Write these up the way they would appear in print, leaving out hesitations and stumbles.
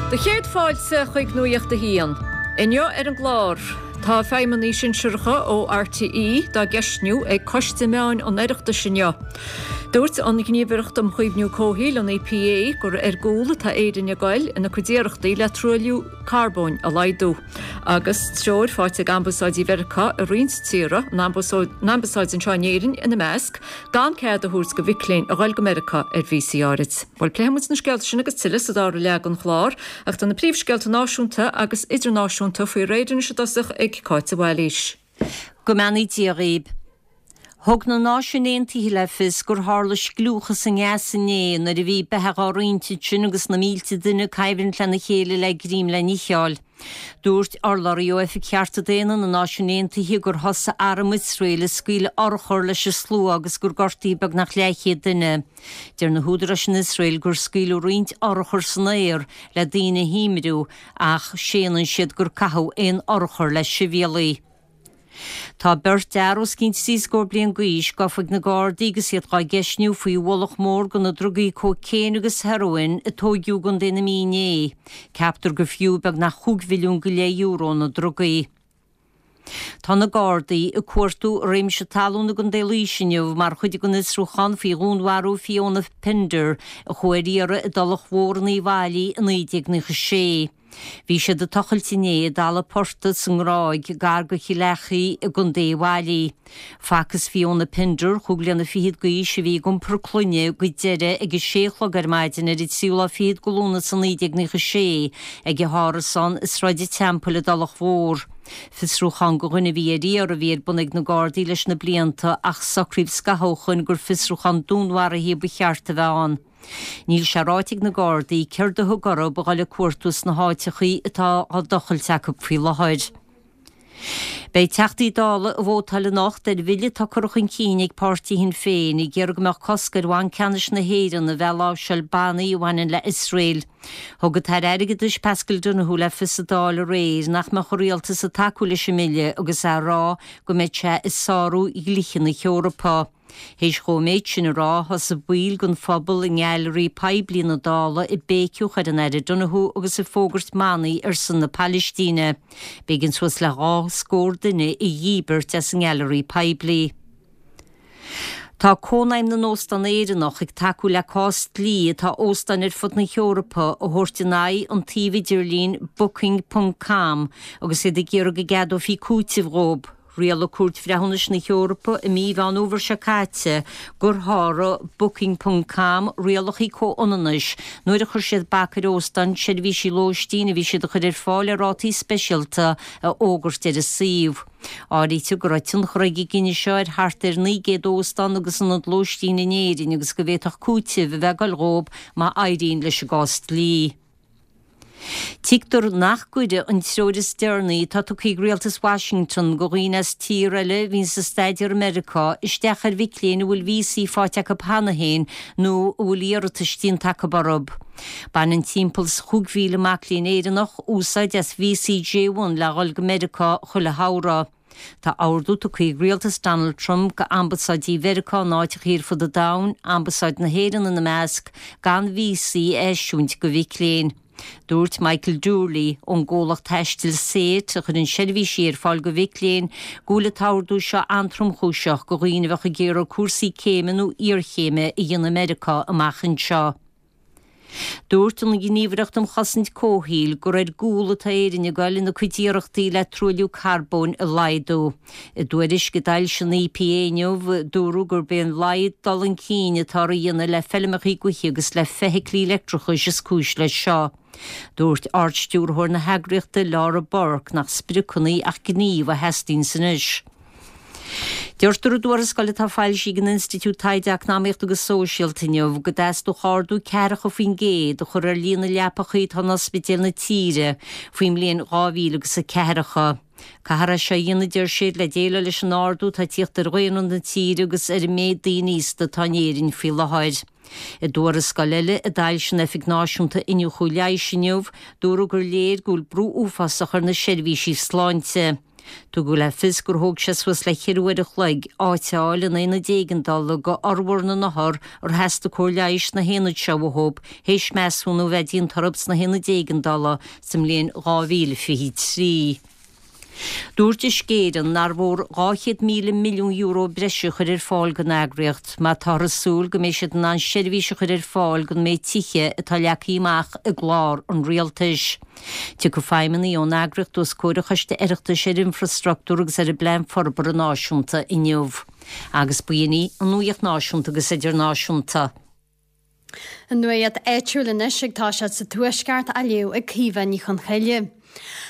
Do chéad fáilte chuig Nuacht a hAon. Inniu ar an gclár, tá feidhmeannaigh sinsearacha ó RTÉ dá gceistniú ag Coiste Meáin an Oireachtais inniu. Dúirt an Ghníomhaireacht um Chaomhnú Comhshaoil, an EPA, gur ar gcúl atá Éirinn ag goil ina cuid iarrachtaí le truailliú carbóin a laghdú. Agus treoir faighte ag ambasáidí Mheiriceá i roinnt tíortha, an ambasáid anseo in Éirinn ina measc, gan cead a thabhairt do mhic léinn a ghoil go Meiriceá ar víosaí áirid. Bhuel, pléifidh muid na scéalta sin agus tuilleadh sa dara leath den chlár, ach tá na príomhscéalta náisiúnta agus idirnáisiúnta faoi réir anois i dtosach ag Cáit de Bhailís. Go mbeannaí Dia dhaoib. Thug na Náisiúin Aontaithe le fios gur tharla scliúchas i nGaza inné nuair a bhí beatha dhá roinnt ansin agus na mílte duine ag coimhlint lena chéile le greim le n-itheáil. Dúirt urlabhraí ó Oifig Chearta Daonna na Náisiún Aontaithe gur thosaigh arm Iosrael ag scaoileadh urchar leis an slua agus gur gortaíodh beagnach leathchéad duine. Deir na húdaráis in Iosrael gur scaoileadh roinnt urchar san aer le daoine a thímriú ach séanann siad gur caitheadh aon urchar le sibhialaigh. Tá beirt fhear os cionn trí scór bliain d'aois gafa ag na Gardaí agus iad dhá gceistniú faoi ualach mór de na drugaí cócaon agus heroin a tóigeadh i gContae na Mí inné. Ceaptar gur fiú beagnach chúig mhilliún go leith euro na drugaí. Tá na Gardaí ag cuartú i réimse talún i gContae Laoise inniu mar chuid den fhiosrúchán faoi dhúnmharú Fiona Pender a chuaigh ar iarraidh i dTulach Mhór in Uíbh Fhailí i 1996. Bhí siad ag tochailt inné i dtalamh portaigh sa nGráig, gar go Chill Achaidh i gContae Uíbh Fhailí. Facthas Fiona Pender, chúig bliana fichead d'aois, a bhí ag iompar clainne go deireadh ag a sé a chlog ar maidin ar an tríú lá fichead de Lúnasa 1996 ag a hárasán i Sráid an Teampaill i dTulach Mhór. Fiosrúchán go dhuine a bhí ar iarraidh a bhí ar bun ag na Gardaí leis na blianta ach socraíodh scaitheamh ó shoin gur fiosrúchán dúnmharaithe ba cheart a bheith ann. Níl sé ráite ag na Gardaí céard a thug orthu a dhul ag cuartú sna háiteachaí atá á dtochailt acu faoi láthair. Beidh Teachtaí Dála ag vótáil anocht ar bhille atá curtha chun cinn ag páirtí Shinn Féin ag iarraidh go mbeadh cosc ar Bhanc Ceannais na hÉireann a bheith ag láimhseáil bannaí a bhaineann le Iosrael. Thug an tAire Airgeadais Paschal Donohoe le fios sa Dáil aréir nach mbeadh an Rialtas ag tacú leis an mbille agus é ag rá go mbeadh sé ag sárú dhlíthe na hEorpa. Théis dhó an méid sin a rá, thosaigh baill den phobal i ngailearaí poiblí na Dála ag béiceadh ar an Aire Donohoe agus ag fógairt manaí ar son na Palaistíne. B'éigean suas le dhá scór duine a dhíbirt as an ngailearaí poiblí. Tá Cónaidhm na nÓstán Éireannach ag tacú le cás dlí atá óstáin ar fud na hEorpa a thabhairt in aghaidh an tsuímh idirlín Booking ponc com agus iad ag iarraidh go gceadófaí cúiteamh dhóibh. Rialaigh Cúirt Bhreithiúnais na hEorpa i mí Mheán Fhómhair seo caite gur sháraigh Booking ponc com rialacha comhionannais nuair a chuir siad bac ar óstáin seirbhísí lóistín a bhí siad a chur ar fáil ar rátaí speisialta a fhógairt ar a suíomh. Áirítear go raibh tionchar ag an gcinneadh seo ar thart ar 900 óstán agus ionad lóistín in Éirinn agus go bhféadfadh cúiteamh a bheith ag dul dhóibh má éiríonn leis an gcás dlí. Tuigtear nach gcuirfidh an treoir is deireanaí atá tugtha ag rialtas Washington go dhaoine as tír eile a bhíonns ag staidéar i Meiriceá isteach ar mhic léinn a bhfuil víosaí faighte acu cheana féin nó a bhfuil iarratais déanta acu orthu. Baineann timpeall is 5,000 mac léinn Éireannach úsáid as víosaí J1 le dhul go Meiriceá chuile shamhradh. Tá ordú tugtha ag rialtas Donald Trump go ambasáidí Mheiriceá in áiteachaí ar fud an domhain, ambasáid na hÉireann ina measc, gan víosaí a eisiúint go mhic léinn. Dúirt Michael Doorley ón gcomhlacht taistil SAIT, a chuireann seirbhísí ar fáil go mhic léinn, go bhfuil an t-ordú seo an-tromchúiseach go dhaoine a bheadh ag iarraidh cúrsaí céime nó iarchéime a dhéanamh i Meiriceá amach anseo. Dúirt an Ghníomhaireacht um Chosaint Comhshaoil gur ar gcúl atá Éirinn ag goil ina cuid iarrachtaí le truailliú carbóin a laghdú. I dtuairisc a d'fhoilsigh an EPA inniu, dúradh gurb é an laghad dul chun cinn atáthar a dhéanamh le feilmeacha gaoithe agus le feithiclí leictreachais is cúis leis seo. Dúirt Ard-Stiúrthóir na heagraíochta, Laura Burke, nach spriocanna ach gníomh a theastaíonns anois. Deirtear i dtuarascáil atá foilsithe ag an Institiúid Taighde Eacnamaíochta agus Sóisialta inniu go dteastódh ardú 40% a chur ar líon na leapachaí atá in ospidéil na tíre faoin mbliain 2000 agus a ceathracha. Caithfear é seo a dhéanamh, deir siad, le déileáil leis an ardú atá ag tíocht ar dhaonra na tíre agus ar an méid daoine aosta atá in Éirinn faoi láthair. I dtuarascáil eile a d'fhoilsigh an Oifig Náisiúnta Iniúchadh Leighis inniu, dúradh gur léir go bhfuil brú uafásach ar na seirbhísí sláinte. Tugadh le fios gur thóg sé suas le cheithre uair a chloig áit a fháil in aonad éigeandála do fhormhór na n-othar ar theastaigh cóir leighis sna haonaid seo uathu théis measúnú a bheith déanta orthu sna haonaid éigeandála sa mbliain 2023. Dúirt Uisce Éireann nár mhór €200,000 milliún breise a chur ar fáil don eagraíocht má táthar ag súil go mbeidh siad in ann seirbhís a chur ar fáil don méid tithe atá leagtha amach i gclár an rialtais. Tiocfaidh feidhmeannaigh ón eagraíocht os comhair an Choiste Oireachtais ar Infreastruchtúr agus ar an bPlean Forbartha Náisiúnta inniu. Agus b'in í an nuaíocht náisiúnta agus idirnáisiúnta. An nuaíocht áitiúil anois ag toiseacht sa Tuaisceart á léamh ag Caoimhe Ní Chonchoille.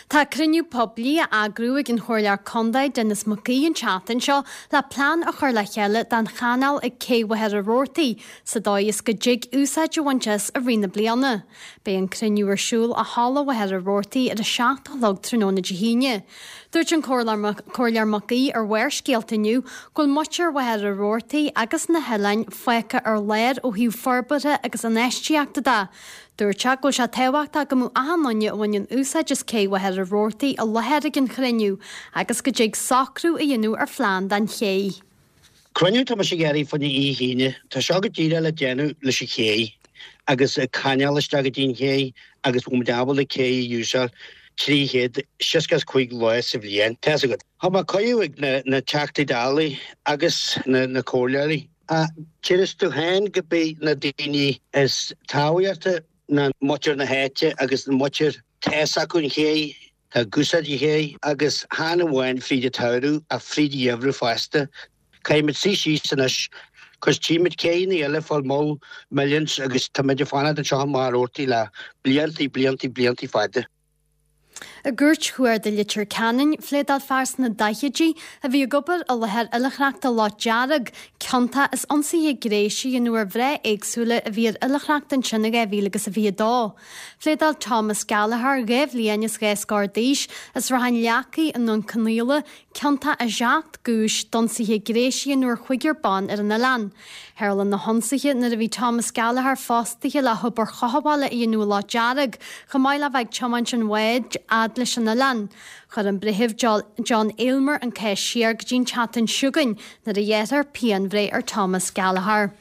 Tá cruinniú poiblí á eagrú ag an Chomhairleoir Contae Denis Mac Aoidh an tseachtain seo le plean a chur le chéile don chanáil ag Cé Mhachaire Rabhartaigh sa dóigh is go dtig úsáid a bhaint as i rith na bliana. Beidh an cruinniú ar siúl i Halla Mhachaire Rabhartaigh ar a 7 a chlog tráthnóna Dé hAoine. Dúirt an Comhairleoir Mac Aoidh ar Bharrscéalta inniu go bhfuil muintir Mhachaire Rabhartaigh agus na hoileáin fágtha ar lár ó thaobh forbartha agus infheistíochta de. Dúirt sé go bhfuil sé tábhachtach go mbeadh achan duine a bhaineann úsáid as Cé Mhachaire Rabhartaigh i láthair ag an chruinniú agus go dtig socrú a dhéanamh ar phlean don ché. Cruinniú tá mise ag iarraidh fá choinne oíche hAoine. Tá seo go díreach le déanamh leis an ché agus an canáil isteach go dtí an ché agus bhfuil muid ábalta cé a úsáid 365 lá sa bhliain. Tá fhios agat. Tá mé cuireadh ag na na Teachtaí Dála agus na na comhairleoirí. Deir tú féin go mbeidh na daoine is tábhachtaí ná muintir na háite agus muintir tá fhios acu an ché Tá ag úsáid an ché agus chan amháin fríd an tsamhradh ach fríd an gheimhreadh fosta. Caithfimid suí síos anois cos tchímid céanna eile ag fáil moll millions agus táimid ag fanacht anseo i Machaire Rabhartaigh le bliantaí, bliantaí, bliantaí fada. I gCúirt Chuarda Leitir Ceanainn, phléadáil fear sna daichidí a bhí ag obair i láthair oilithreachta Loch Dearg ciontach as ionsaithe gnéis a dhéanamh ar mhná éagsúla a bhí ar oilithreacht ansin in 2022. Phléadáil Thomas Gallagher, 2 bhliain is 2 scór d'aois, as Ráth an Leacaigh i nDún Conaola, ciontach i seacht gcúis d'ionsaithe gnéis a dhéanamh ar chúigear ban ar an oileán. Tharla na hionsaithe nuair a bhí Thomas Gallagher fostaithe le hobair chothabhála a dhéanamh i Loch Dearg, chomh maith le bheith ag tiomáint an bháid fhad leis an oileán. Chuir an Breitheamh John Aylmer an cás siar go dtí an tseachtain seo chugainn nuair a ghearrfar pianbhreith ar Thomas Gallagher.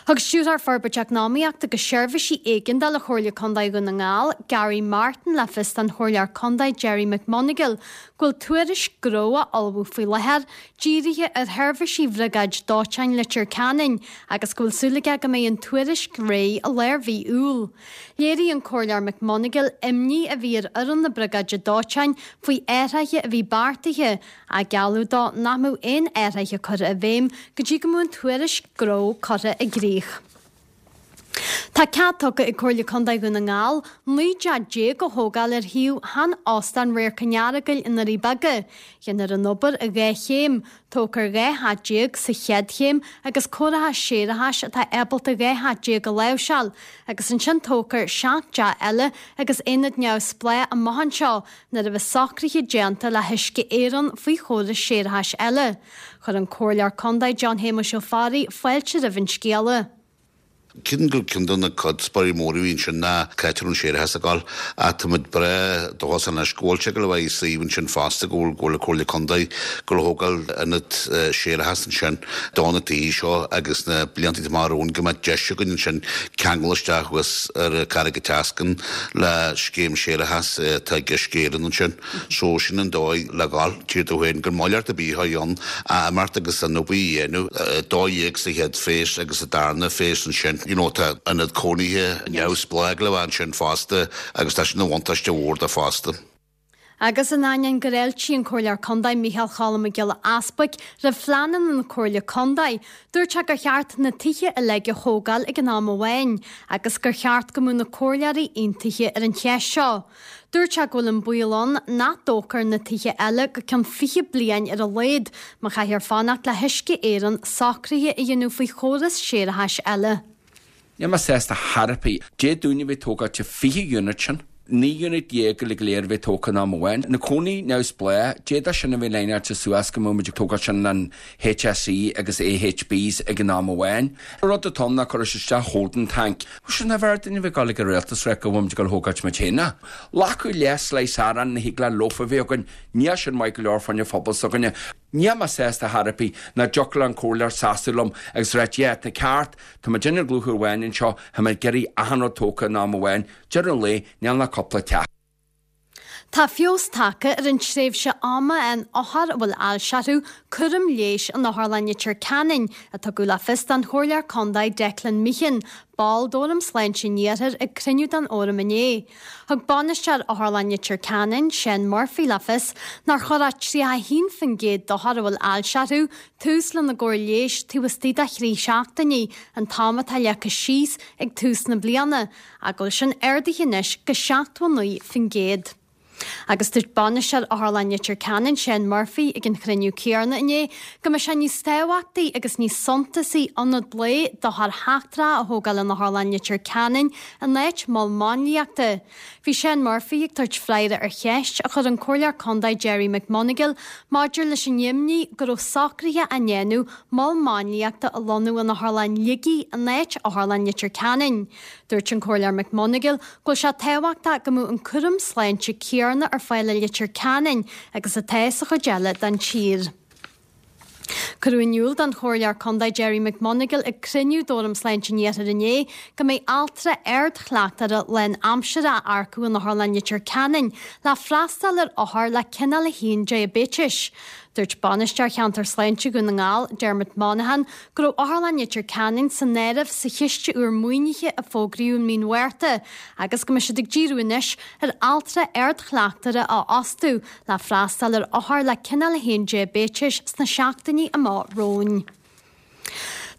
Thug Stiúrthóir Forbairt Eacnamaíochta agus Seirbhísí Éigeandála Chomhairle Contae Dhún na nGall, Gary Martin le fios don Chomhairleoir Contae Gerry McMonagle go bhfuil tuairisc gnó á ullmhú faoi láthair dírithe ar sheirbhísí Bhriogáid Dóiteáin Leitir Ceanainn agus go bhfuil súil aige go mbeidh an tuairisc réidh i lár mhí Iúil. Léirigh an Comhairleoir McMonagle imní a bhí ar fhoireann na Briogáide Dóiteáin faoi athruithe a bhí beartaithe ach gealladh dó nach mbeadh aon athruithe curtha i bhfeidhm go dtí go mbeadh an tuairisc gnó curtha i gcrích. Tá cead tugtha ag Comhairle Contae Dhún na nGall 19 dteach a thógáil ar shuíomh shean-Óstán Radharc an Earagail i nDoirí Beaga. Déanfar an obair i 2 chéim, tógfar 12 theach sa chéad chéim agus cóireachas séarachais atá ábalta 12 theach a láimhseáil, agus ansin tógfar 7 dteach eile agus aonad neamhspleách amach anseo nuair a bheas socruithe déanta le hUisce Éireann faoi chóras séarachais eile. Chuir an Comhairleoir Contae John Shéamuis Ó Fearraigh fáilte roimh an scéala. Ceann de ceann de na cuspóirí móra a bhí ansin ná cá háit a raibh an séarachas ag dul ach tá muid breá dóchasach anois go bhfuil sé ag dul a bheith i suíomh ansin fosta go bhfuil go bhfuil an Comhairle Contae ag dul a thógáil ionad séarachais ansin do na tithe seo agus na blianta amach romhainn go mbeadh deis againn ansin ceangal isteach thuas ar Carraig an tSeascainn le scéim séarachais atá ag Uisce Éireann ansin. So sin an dóigh le dhul. Tchí tú féin gur moilleacht ar bith a bhí ann a imeacht agus an obair a dhéanamh. 12 sa chéad phase agus sa darna phase ansin. You know tá ionad cónaithe neamhspleách le bheith ansin fosta agus tá sin ina bhuntáiste mhór dó fosta. Agus in ainneoin gur fháiltigh an Comhairleoir Contae Micheál Cholm Mac Giolla Easbuic roimh phleananna na Comhairle Contae, dúirt sé gur cheart na tithe uilig a thógáil ag an am amháin agus gur cheart go mbeadh na comhairleoirí aontaithe ar an cheist seo. Dúirt sé go bhfuil an baol ann nach dtógfar na tithe eile go ceann 20 bliain ar a laghad má chaithfear fanacht le hUisce Éireann socruithe a dhéanamh faoi chóras séarachais eile. Níl mé sásta chor ar bith. Dé Domhnaigh a bheith ag tógáil 20 unit sin. 19 unit uilig go léir a bheith tógtha in am amháin. Na cónaí neamhspleách, d'fhéadfadh sin a bheith líneáilte suas go mbeadh muid ag tógáil sin an HSE agus AHBs ag an am amháin. An rud atá ann ná cuirfidh siad isteach holding tank. Sin níorbh fhearr dúinn a bheith ag dul ag an rialtas rá go bhfuil muid ag dul a thógáilt muid féin é. Glacadh leath slice aráin ní thig le loaf a bheith againn, níl sin maith go leor fá choinne phobal s'againne. Níl mé sásta chor ar bith nach dtiocfadh le an comhairleoir seasamh liom agus ráit yeah tá ceart, tá muid ag lucht amháin anseo, tá mé ag iarraidh achan rud tógtha in am amháin, deireadh an lae, níl ach cúpla teach. Tá feabhas tagtha ar an tréimhse ama a fhaigheann othair a bhfuil ailse orthu cúram leighis in Otharlann Leitir Ceanainn, a tugadh le fios don Chomhairleoir Contae Declan Meehan, ball d'Fhóram Sláinte an Iarthair ag cruinniú den Fhóram inné. Thug bainisteoir Otharlann Leitir Ceanainn, Seán Murphy le fios nár chuir ach 31% d'othair a bhfuil ailse orthu tús lena gcóir leighis taobh istigh de thrí seachtainí, an t-am atá leagtha síos ag tús na bliana, ach go bhfuil sin ardaithe anois go 79%. Agus dúirt bainisteoir Otharlann Leitir Ceanainn, Seán Murphy, ag an chruinniú céanna inné go mbeidh sé níos tábhachtaí agus níos suntasaí ionad lae d'othair sheachtracha a thógáil in Otharlann Leitir Ceanainn in áit mol máinliachta. Bhí Seán Murphy ag tabhairt freagra ar cheist a chuir an Comhairleoir Contae Gerry McMonagall maidir leis an imní go raibh socruithe á ndéanamh mol máinliachta a lonnú in Otharlann Shligigh in áit Otharlann Leitir Ceanainn. Dúirt an Comhairleoir McMonagall go bhfuil sé tábhachtach go mbeadh an cúram sláinte céanna ar fáil i Leitir Ceanainn agus atá sa chuid eile den tír. Cuireadh in iúl don Chomhairleoir Contae Gerry McMonagall ag cruinniú d'Fhóram Sláinte an Iarthair inné go mbeidh altra ardchleachtóra lánaimseartha á earcú in Otharlann Leitir Ceanainn le freastal ar othair le cineál 1 diaibéitis. Dúirt Bainisteoir Cheantar Sláinte Dhún na nGall, Dermot Monaghan, go raibh Otharlann Leitir Ceanainn san áireamh sa chiste úr maoinithe a fógraíodh i mí an Mhárta agus go mbeidh siad ag díriú anois ar altra ardchleachtóra a fhostú le freastal ar othair le cineál 1 diaibéitis sna seachtainí amach romhainn.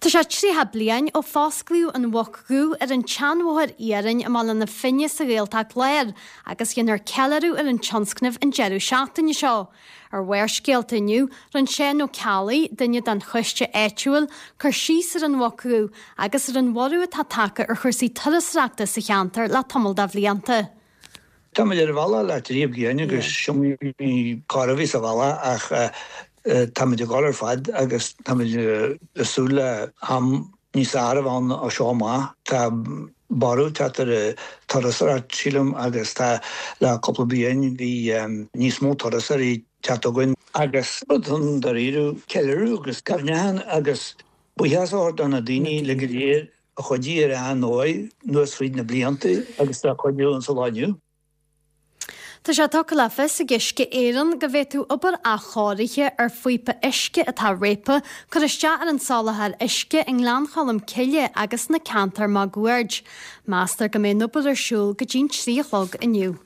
Tá sé 30 bliain ó fosclaíodh an Mhuc Dhubh ar an tseanbhóthar iarainn i mBaile na Finne sa Ghaeltacht Láir agus dhéanfar ceiliúradh ar an tionscnamh an deireadh seachtaine seo. Ar Bharrscéalta inniu, rinne Seán Ó Ceallaigh, duine den choiste áitiúil, cur síos ar an Mhuc Dhubh agus ar an bhorradh atá tagtha ar chúrsaí turasóireachta sa cheantar le tamall de bhlianta. Táimid ar an bhealach le trí bliana agus is iomaí cor a bhí sa bhealach ach táimid ag dul ar fad agus táimid ag súil le am níos fearr a bheith ann ó seo amach. Tá borradh ag teacht ar an turasóireacht sílim agus tá le cúpla bliain bhí níos mó turasóirí ag teacht chugainn. Agus rud ann dáiríre, ceiliúradh agus cuimhneachán agus buíochas a thabhairt do na daoine uilig go léir a chuidigh ar an ndóigh anuas fríd na blianta agus atá ag cuidiú insa lá inniu. Tá sé tugtha le fios ag Uisce Éireann go bhféadfadh obair athchóirithe ar phíopa uisce atá réabtha cur isteach ar an soláthar uisce i nGleann Cholm Cille agus sna ceantair máguaird. Meastar go mbeidh an obair ar siúl go dtí'n 3 a chlog inniu.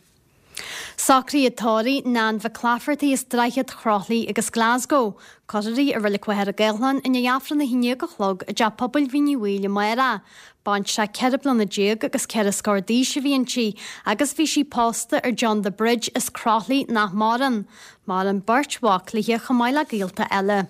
Socruithe tórraimh Nan Mhic Laifeartaigh as Droichead Chroithlí agus Glasgow. Cuirfear í i Reilig Mhachaire Gathlán i ndiaidh Aifreann 11 a chlog i dTeach Pobail Mhín Uí Bhaoill amárach. Baintreach 14 bliana agus ceithre scór d'aois a bhí inti agus bhí sí pósta ar John de Bridge as Croithlí nach maireann. Maireann beirt mhac léi chomh maith le gaolta eile.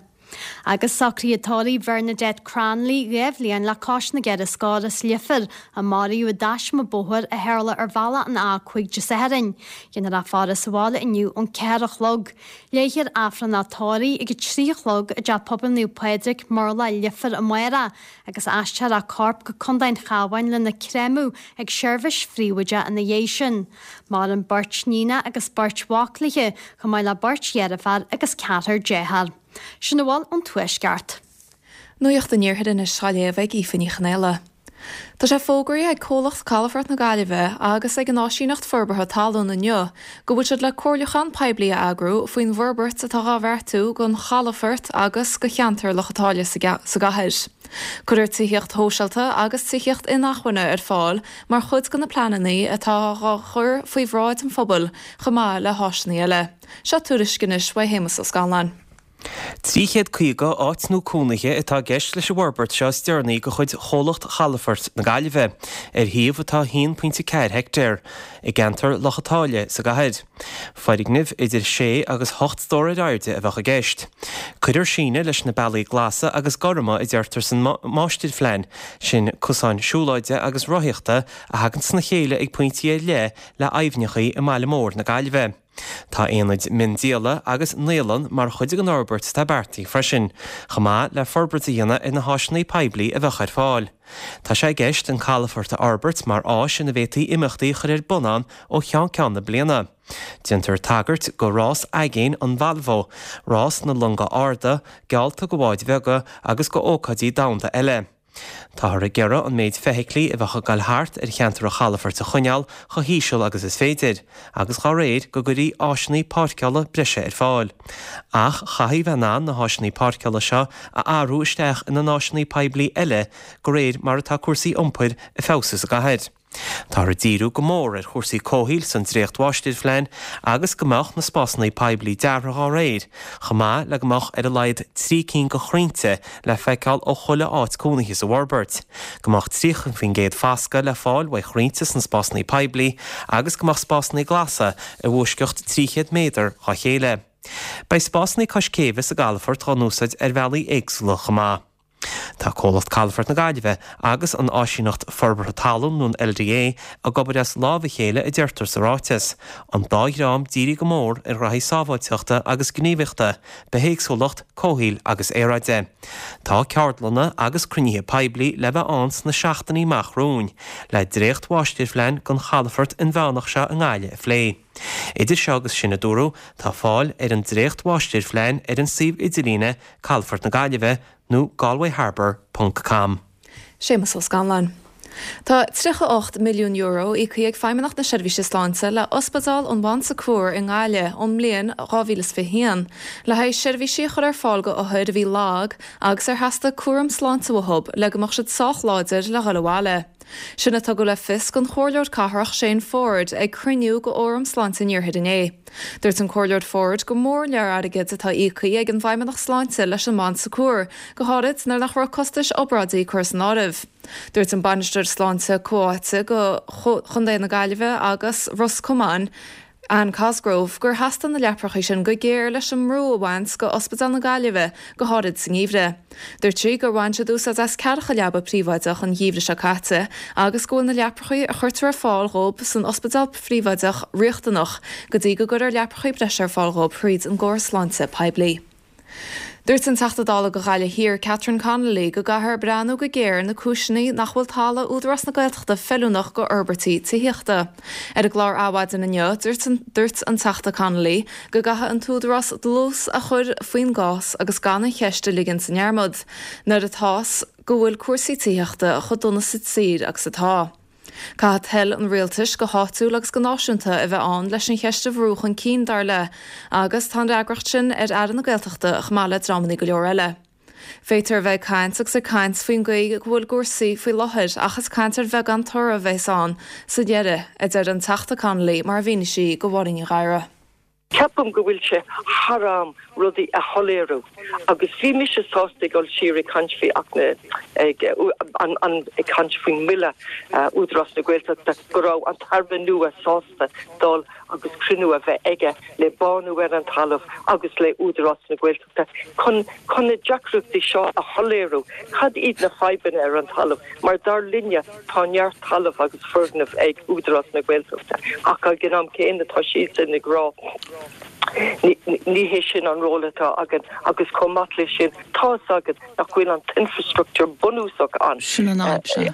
Agus socruithe tórraimh Bhernadette Cranley 2 bhliain le cois na gceithre scór as Leifear a maraíodh i dtaisme bóthair a tharla ar bhealach an A5 Dé Sathairn. Déanfar í a fhaire sa bhaile inniu ón 4 a chlog. Léifear Aifreann a tórraimh ag 3 a chlog i dTeach Pobail Naomh Pádraig, Murlach, Leifear amárach agus aistreofar a corp go Contae an Chabháin lena créamadh ag seirbhís phríobháideach ina dhiaidh sin. Maireann beirt níonach agus beirt mhac léi, chomh maith le beirt dheirféar agus ceathrar dearthár. Sin a bhfuil ón Tuaisceart. Nuacht an Iarthair anois á léamh ag Aoife Ní Chonaola. Tá sé fógraithe ag Comhlacht Calafort na Gaillimhe agus ag an Áisíneacht Forbartha Talún inniu go bhfuil siad le comhairliúchán poiblí a eagrú faoin bhforbairt atá dhá bheartú don chalafort agus do cheantar Loch an tSáile sa gcathair. Cuirfear tithíocht shóisialta agus tithíocht inacmhainne ar fáil mar chuid de na pleananna atá dhá chur faoi bhráid an phobail chomh maith le háiseanna eile. Seo tuairisc anois uaidh Shéamus Ó Scanláin. 350 áit nua cónaithe atá i gceist leis an bhforbairt seo is deireanaí de chuid Chomhlacht Chalafort na Gaillimhe, ar shuíomh atá 1.4 heictéar, i gceantar Loch an tSáile sa gcathair. Foirgnimh idir sé agus hocht stór ar airde a bheadh i gceist. Cuirfear síneadh leis na bealaí glasa agus gorma a deirtear san máistirphlean, sin cosáin siúlóide agus rothaíochta a thagann sna chéile ag pointí ar leith le aibhneacha i mbaile mór na Gaillimhe. Tá aonaid miondíola agus naíolann mar chuid den fhorbairt atá beartaithe freisin, chomh maith le forbairt a dhéanamh ar na háiseanna poiblí a bheadh ar fáil. Tá sé i gceist an calafort a fhorbairt mar áis ina bhféadfaí imeachtaí a chur ar bun ann ó cheann ceann na bliana. Déantar tagairt go rás aigéin an Volvo, rás na longa arda, geallta go bháid bheaga agus go ócáidí domhanda eile. Táthar ag iarraidh an méid feithiclí a bheadh ag dul thart ar cheantar an chalafoirt a choinneáil chomh híseal agus is féidir, agus dá réir go gcuirfí áiseanna páirceála breise ar fáil. Ach chaithfí bheith in ann na háiseanna páirceála seo a athrú isteach ina n-áiseanna poiblí eile de réir mar atá cúrsaí iompair ag feabhsú sa gcathair. Táthar ag díriú go mór ar chúrsaí comhshaoil san dréacht-mháistirphlean agus go mbeadh na spásanna poiblí deartha dhá réir, chomh maith le go mbeadh ar a laghad 3 cinn de chrainnte le feiceáil ó chuile áit cónaithe sa bhforbairt, go mbeadh 30% foscadh le fáil uaidh chrainnte sna spásanna poiblí agus go mbeadh spásanna glasa i bhfoisceacht 300 méadar dhá chéile. Beidh spásanna cois céibhe sa gcalafort dhá n-úsáid ar bhealaí éagsúla chomh maith. Tá Comhlacht Calafort na Gaillimhe agus an Áisíneacht Forbartha Talún nó an LDA ag obair as lámh a chéile a deirtear sa ráiteas, an dá dhream dírithe go mór ar ghraithí sábháilteachta agus gníomhaíochta, bithéagsúlacht, comhshaoil agus aeráide. Tá ceardlanna agus cruinnithe poiblí le bheith ann sna seachtainí amach romhainn le dréacht-mháistirphlean don chalafort inmheánach seo i nGaillimh a phlé. Idir seo agus sin, a dúradh, tá fáil ar an dréacht-mháistirphlean ar an suíomh idirlíne Calafort na Gaillimhe nó galwayharbour ponc com. Séamus Ó Scanláin. Tá €38 milliún íoctha ag Feidhmeannacht na Seirbhíse Sláinte le Ospidéal an Bhon Secours i nGaillimh ón mbliain 2021 le haghaidh seirbhísí a chur ar fáil go othair a bhí lag agus ar theastaigh cúram sláinte uathu le go mbeadh siad sách láidir le dhul abhaile. Sin a tugadh le fios don Chomhairleoir Cathrach Shane Forde ag cruinniú de Fhóram Sláinte an Iarthair inné. Dúirt an Comhairleoir Forde gur mór an lear airgid atá íoctha ag an bhFeidhmeannacht Sláinte leis an mBon Secours, go háirid nuair nach raibh costais obráidí curtha san áireamh. Dúirt an Bainisteoir Sláinte Comhtháite do Chontae na Gaillimhe agus Ros Comáin, Anne Cosgrove, gur theastaigh na leaprachaí sin go géar leis an mbrú a bhaint go Ospidéal na Gaillimhe, go háirid sa ngeimhreadh. Dúirt sí gur bhain siad úsáid as ceathracha leaba príobháideach an geimhreadh seo caite agus go bhfuil na leaprachaí a chuirtear ar fáil dhóibh san ospidéal phríobháideach riachtanach go dtí go gcuirfear leaprachaí breise ar fáil dhóibh thríd an gcóras sláinte poiblí. Dúirt an Teachta Dála do Ghaillimh Thiar, Catherine Connolly, go gcaithfear breathnú go géar ar na cúiseanna nach bhfuil talamh Údarás na Gaeltachta feiliúnach go fhorbairtí tithíochta. Ar an gclár Adhmhaidin inniu, dúirt an Teachta Connolly go gcaithfidh an tÚdarás dlús a chur faoin gcás agus gan an cheist a ligean sa ndearmad nuair atá's go bhfuil cúrsaí tithíochta chomh dona sa tír agus atá. Caithfidh toil an rialtais, go háitiúil agus go náisiúnta, a bheith ann leis an cheist a bhrú chun cinn, dar léi, agus tá an fhreagracht sin ar Aire na Gaeltachta chomh maith le dreamanna go leor eile. Féadtar a bheith ag caint agus ag caint faoin gcaoi go bhfuil cúrsaí faoi láthair ach is caint ar bheagán toradh a bheas ann sa deireadh, a deir an Teachta Connolly mar a mhínigh sí do Mháirín Ní Ghadhra. Ceapaim go bhfuil sé thar am rudaí a shoiléiriú agus bhí mise sásta ag dul siar ag caint faoi Acht na, ag an, an, ag caint faoin mBille Údarás na Gaeltachta go raibh an tAire nua sásta dul agus cruinniú a bheith aige le bánú ar an talamh agus le Údarás na Gaeltachta chun, chun na deacrachtaí seo a shoiléiriú. Cad iad na fadhbanna ar an talamh? Mar dar linne tá neart talamh agus foirgneamh ag Údarás na Gaeltachta ach ag an am céanna tá siadsan ag rá ní hé sin an ról atá againn agus chomh maith leis sin tá fhios agat nach bhfuil an t-infrastructúr bunúsach ann. Sin an fhadhb, sea.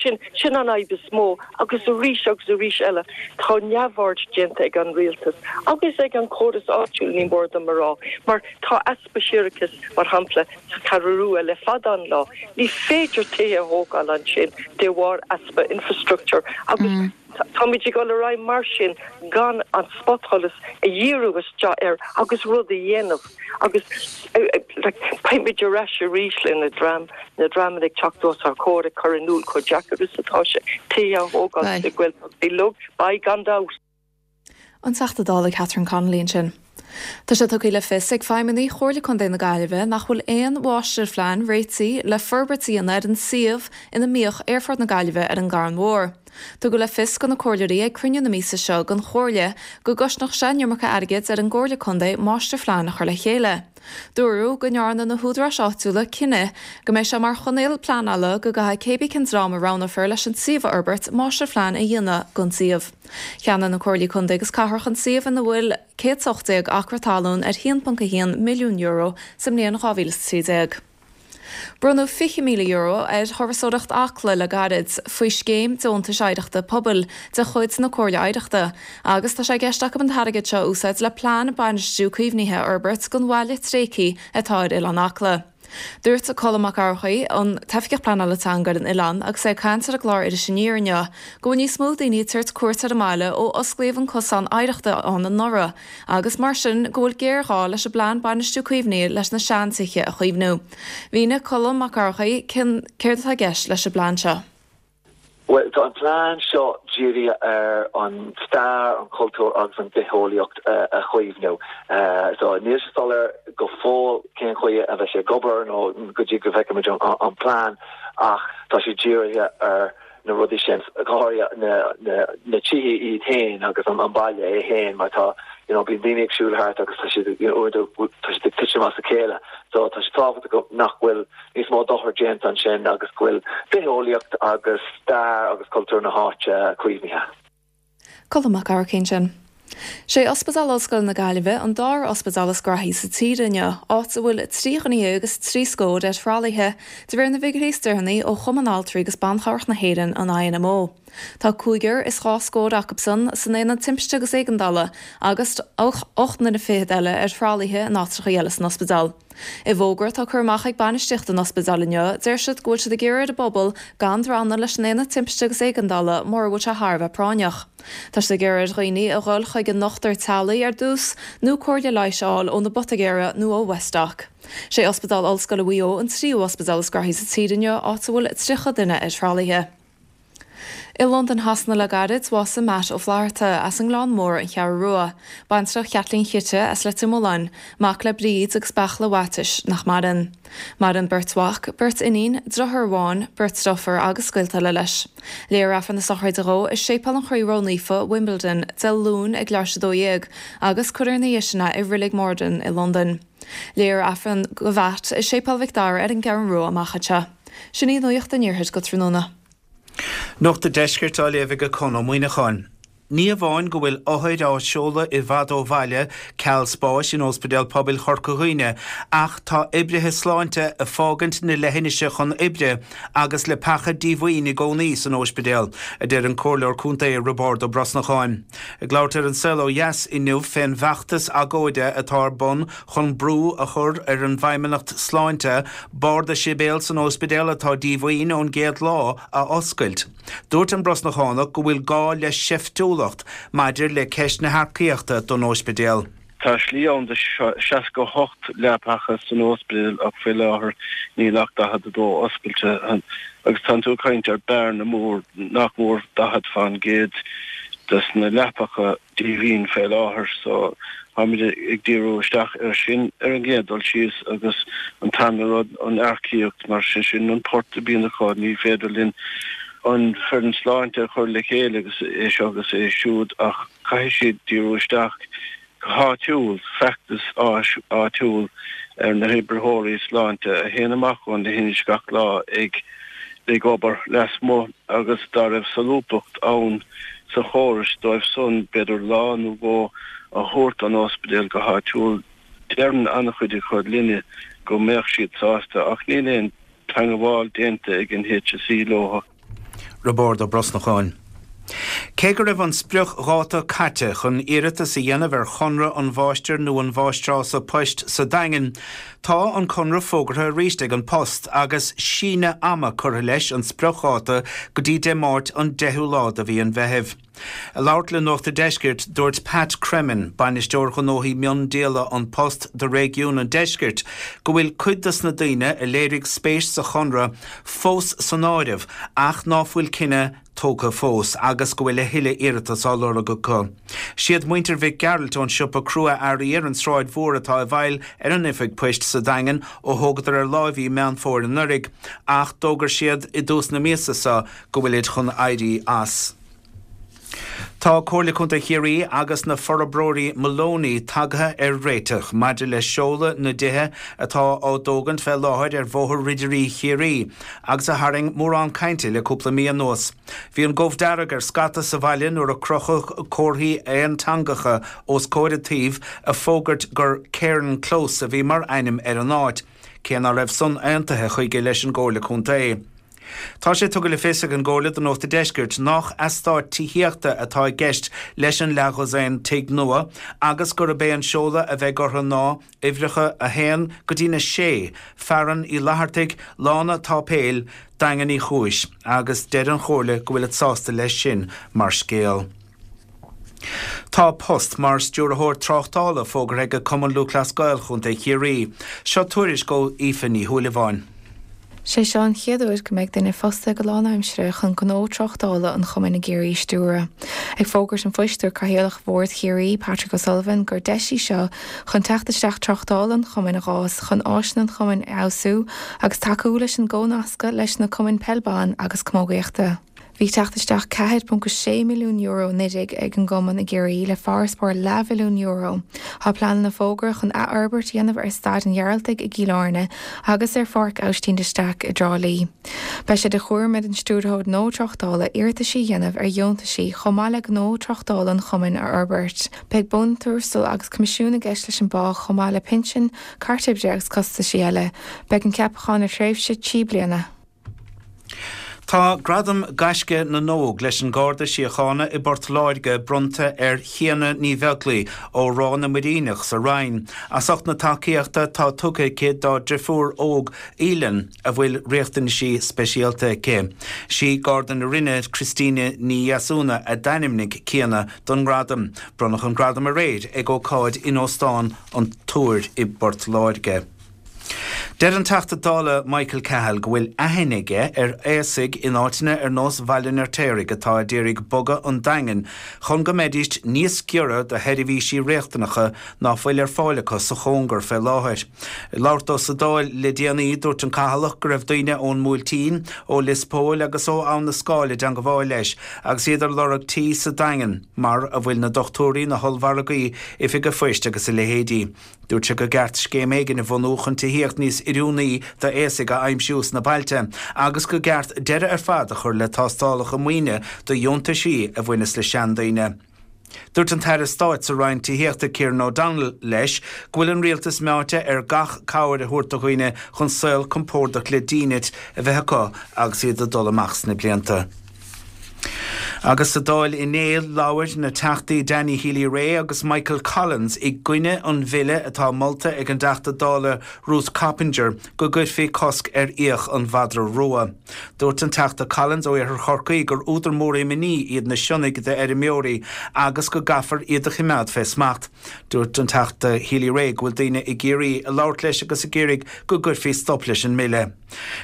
Sin, sin an fhadhb is mó agus arís agus arís eile tá neamhaird déanta ag an rialtas agus ag an chóras áitiúil ní mór dom a rá mar tá easpa séarachais mar shampla sa Cheathrú Rua le fada an lá. Ní féidir tithe a thógáil ansin de bharr easpa infrastructúir agus táimid ag dul ar aghaidh mar sin gan an spotsholas a dhíriú isteach air agus rud a dhéanamh agus like beimid ar ais arís le na dream, na dreamanna ag teacht os ár gcomhair ag cur in iúl chomh deacair is atá sé tithe a thógáil sna Gaeltachtaí. Beidh, gan dabht. An Teachta Dála Catherine Connolly ansin. Tá sé tugtha le fios ag feidhmeannaigh Chomhairle Contae na Gaillimhe nach bhfuil aon mháistirphlean réitithe le forbairt a dhéanamh ar an suíomh ina mbíodh Aerfort na Gaillimhe ar an gCarn Mhór. Tugadh le fios do na comhairleoirí ag cruinniú na míosa seo den Chomhairle go gcosnódh sé an iomarca airgid ar an gComhairle Contae máistirphlean a chur le chéile. Dúradh go ndearna na húdaráis áitiúla cinneadh go mbeidh sé mar choinníoll pleanála go gcaithfidh cébí cén dream a roghnófar leis an suíomh a fhorbairt máistirphlean a dhéanamh don suíomh. Cheannaigh na Comhairlí Contae agus Cathrach an suíomh ina bhfuil 118 acra talún ar €1.1 milliún sa mbliain 2013. Bronnadh €20,000 ar Thurasóireacht Acla le gairid faoi Scéim Deontais Oidhreachta Pobail de chuid na Comhairle Oidhreachta agus tá sé i gceist acu an t-airgead seo a úsáid le plean bainistiú caomhnaithe a fhorbairt don bhaile tréigthe atá ar Oileán Acla. Dúirt Colm Mac Eachmharcaigh, an tOifigeach Pleanála Teanga ar an oileán, agus é ag caint ar an gclár Iris Aniar inniu, go bhfuil níos mó daoine ag tabhairt cuairt ar an mbaile ó osclaíodh an cosán oidhreachta ann anuraidh agus mar sin go bhfuil géarghá leis an bplean bainistiú caomhnaithe leis na seantithe a chaomhnú. Mhínigh Colm Mac Eachmharcaigh céard atá i gceist leis an bplean seo. Bhuel, tá an plean seo dírithe ar an stair, an cultúr agus an bitheolaíocht a chaomhnú. So níl sé soiléir go fóill cén chaoi a bheidh sé ag obair nó go dtí go bhfeicfimid an plean ach tá sé dírithe ar na rudaí sin, go háirithe na tithe iad féin agus an baile é féin mar tá, you know, bíonn daoine ag siúl thart agus tá siad, you know, uaireanta tá siad ag titim as a chéile. So tá sé tábhachtach nach bhfuil níos mó dochar déanta ansin agus go bhfuil bitheolaíocht agus stair agus cultúr na háite caomhnaithe. Colm Mac Eachmharcaigh ansin. Sé Ospidéal Ollscoile na Gaillimhe an dara ospidéal is graithí sa tír inniu, áit a bhfuil 13 dhuine agus 30 scór ar thralaithe, de réir na bhfigiúirí is deireanaí ó Chumann Altraí agus Ban Chabhrach na hÉireann, an INMO. Tá cúigear is dhá scór acusan san aonad timpiste agus éigeandála agus 8 nduine fichead eile ar thralaithe in áitreacha eile san ospidéal. I bhfógra atá curtha amach ag bainistíocht an ospidéil inniu, deir siad go bhfuil siad ag iarraidh ar an bpobal gan drannadh leis an Aonad Timpiste agus Éigeandála mura bhfuil sé thar a bheith práinneach. Tá siad ag iarraidh ar dhaoine a dhul chuig a ndochtúir teaghlaigh ar dtús nó comhairle leighis a fháil óna bpoitigéara nó ó Westdoc. Sé Ospidéal Ollscoile Mhaigh Eo an tríú ospidéal is graithí sa tír inniu, áit a bhfuil 30 duine ar thralaithe. I Londain Shasana le gairid, bhásaigh Matt Ó Flatharta, as an nGleann Mór, An Cheathrú Rua. Baintreach Chaitlín Chite as Leitir Mealláin, mac le Bríd agus Beartla Mhaitiais, nach maireann. Maireann beirt mhac, beirt iníon, driotháir amháin, beirt driofúr agus gaolta eile leis. Léifear Aifreann na sochraide dhó i Séipéal an Chroí Ró-Naofa, Wimbledon, Dé Luain ag leathuair tar éis 12 agus cuirfear ina dhiaidh sin é i Reilig Morden i Londain. Léifear Aifreann do Mhatt i Séipéal Mhic Dara ar an gCeathrú Rua amach anseo. Sin í nuacht an Iarthair go tráthnóna. Nuacht an Deiscirt á léamh ag Conn Ó Muíneacháin. Ní amháin go bhfuil othair á seoladh i bhfad ó bhaile ceal spáis in Óspidéal Pobail Chorca Dhuibhne ach tá oibrithe sláinte ag fágaint na leithinise chun oibre agus leapacha díomhaoin i gcónaí san óispidéal, a deir an Comhairleoir Contae Roibeárd Ó Brosnacháin. Ag labhairt ar An Saol Ó Dheas inniu fén bhfeachtas agóide atá ar bun chun brú a chur ar an bhFeidhmeannacht Sláinte barda sibéal san óispidéal atá díomhaoin ón gcéad lá a oscailt. Dúirt an Brosnachánach go bhfuil gá le seiftiúlacht maidir le ceist na hearcaíochta don óispidéal. Tá slí ann do 68 leapacha san óispidéal ach faoi láthair níl ach 42 oscailte agus tánn tú ag caint ar bearna mór, nach mór 40 fán gcéad des na leapacha díomhaoin fé láthair so táimid ag díriú isteach air sin ar an gcéad dul síos agus an tarna rud an earcaíocht mar sé sin an port a bhíonn acu ní féidir linn an foireann sláinte a chur le chéile agus é seo agus é siúd ach caithfidh siad díriú isteach go háitiúil, feachtas áitiúil ar na hoibritheoirí sláinte a théann amach ón leithinis gach lá ag ag obair lasmuigh agus dá raibh solúbthacht ann sa chóras dóibh san b'fhéidir lá nó dhó a thabhairt don ospidéal go háitiúil. Deireann an-chuid acu linne go mbeadh siad sásta ach níl aon teangabháil déanta ag an HSE leo. Roibeárd Ó Brosnacháin. Cé go raibh an spriocdháta caite chun iarratas a dhéanamh ar chonradh an mháistir nó an mháistreása poist sa Daingean, tá an conradh fógartha arís ag An Post agus síneadh ama curtha leis an spriocdháta go dtí Dé Máirt an 10ú lá de mhí an Mheithimh. Ag labhairt le Nuacht an Deiscirt, dúirt Pat Cremin, Bainisteoir Ghnóthaí Miondíola An Post do réigiún an Deiscirt, go bhfuil cuid dos na daoine a léirigh spéis sa chonradh fós san áireamh ach ná fuil cinneadh. tógtha fós agus go bhfuil a thuilleadh iarratas á lorg acu. Siad muintir Mhic Gearailt ón siopa crua-earraí ar an Sráid Mhór atá i bhfeighil ar an oifig poist sa Daingean ó thógadar ar láimh í Meán Fómhair anuraidh ach d'fhógair siad i dtús na míosa seo go bhfuilid chun éirí as. Tá Comhairle Contae Chiarraí agus na forbróirí Moloney tagtha ar réiteach maidir le seoladh na dtithe atá á dtógaint fé láthair ar Bhóthar Ridirí Chiarraí agus a tharraing mórán cainte le cúpla mí anuas. Bhí an gomh dearg ar scata sa bhaile nuair a crochadh comharthaí aonteangacha os comhair an tsuímh ag fógairt gur Cairn Close a bhí mar ainm ar an áit, cé ná raibh san aontaithe chuige leis an gComhairle Contae. Tá sé tugtha le fios ag an gComhairle do Nuacht a' Deiscirt nách eastát tithíochta atá i gceist leis an leathdhosaen tigh nua agus gurb é an seoladh a bheidh orthu ná uimhreacha 1 go dtína 6, Fearann Uí Fhlaitheartaigh, Lána Táipéil, Daingean Uí Chúis, agus deir an Chomhairle go bhfuilid sásta leis sin mar scéal. Tá post mar Stiúrthóir Tráchtála fógartha ag Cumann Lúthchleas Gael Chontae Chiarraí. Seo tuairisc ó Aoife Ní Shúilleabháin. Sé seo an chéad uair go mbeidh duine fostaithe go lánaimseartha chun gnó tráchtála an chumainn i gCiarraí a stiúradh. Ag fógairt an phoist, dúirt Cathaoirleach Bhord Chiarraí, Patrick O'Sullivan, gur deis í seo chun teacht isteach tráchtála an chumainn a dh'fhás, chun áiseanna an chumainn a fheabhsú agus tacú leis an gcomhnascadh leis na cumainn peil ban agus camógaíochta. Bhí teacht isteach €4.6 milliún anuraidh ag an gcumann i gCiarraí le farasbarr leathbhilliún euro. Tá pleananna fógartha chun athfhorbairt a dhéanamh ar Staid an Ghearaltaigh i gCill Airne agus ar Pháirc Aibhistín de Staic i dTrá Lí. Beidh sé de chúram ar an stiúrthóir gnó tráchtála iarrataisí a dhéanamh ar dheontaisí chomh maith le gnó tráchtála an chumainn a fhorbairt. Beidh buntuarastal agus coimisiún i gceist leis an bpá chomh maith le pinsean, cairt oibre agus costaisí eile. Beidh an ceapachán ar thréimhse 3 bliana. Tá Gradam Gaisce na nÓg leis an Garda Síochána i bPort Láirge bronnta ar Chiana Ní Bheaglaoi ó Ráth na Muiríneach sa Rinn as ucht na tacaíochta atá tugtha aici dá driofúr óg Aoileann a bhfuil riachtanaisí speisialta aici. Sí Garda na Rinne Christina Ní Dheasúna a d'ainmnigh Ciana don ngradam. Bronnadh an gradam aréir ag ócáid in Óstán an Túir i bPort Láirge. Deir an Teachta Dála Michael Cahill go bhfuil aithne aige ar aosaigh in áiteanna ar nós Bhaile an Fheirtéaraigh atá a d'iarraidh bogadh 'on Daingean chun go mbeidíst níos giorra do sheirbhísí riachtanacha ná fuil ar fáil acu sa chóngar fé láthair. Ag labhairt dó sa Dáil le déanaí, dúirt an Cathalach go raibh daoine ón mBuailtín, ó Lios Póil agus ó Abha na Scáil i dteangabháil leis agus iad ar lorg tí sa Daingean mar a bhfuil na dochtúirí, na hollmhargaí, oifig a' phoist agus a leithéidí. Dúirt sé gur gceart scéim éigin a bhunú chun tithíocht níos oiriúnaí d'aosaigh a aimsiú sna bailte agus gur gceart deireadh ar fad a chur le tástálacha maoine do dheontaisí a bhaineas le seandaoine. Dúirt an tAire Stáit sa Roinn Tithíochta Kieran O'Donnell leis go bhfuil an rialtas meáite ar gach cabhair a thabhairt do dhaoine chun saol compordach le dínit a bheith acu agus iad ag dul amach sna blianta. Agus sa Dáil inné, labhair na Teachtaí Danny Healy-Rae agus Michael Collins i gcoinne an bhille atá molta ag an dTeachta Dála Ruth Coppinger go gcuirfí cosc ar fhiach an mhadra rua. Dúirt an Teachta Collins ó Iarthar Chorcaí gur údar mór imní iad na sionnaigh d'fheirmeoirí agus go gcaithfear iad a choimeád fé smacht. Dúirt an Teachta Healy-Rae go bhfuil daoine i gCiarraí ag labhairt leis agus ag iarraidh go gcuirfí stop leis an mbille.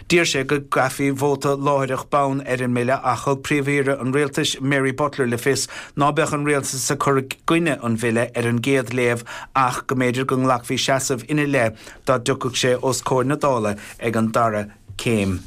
D'iarr sé go gcaithfí vóta láithreach bonn ar an mbille ach thug Príomh-Aoire an Rialtais Mary Butler le fios ná beadh an rialtas ag cur i gcoinne an bhille ar an gcéad léamh ach go mb'fhéidir go nglacfaí seasamh ina leith dá dtiocfadh sé os comhair na Dála ag an dara céim.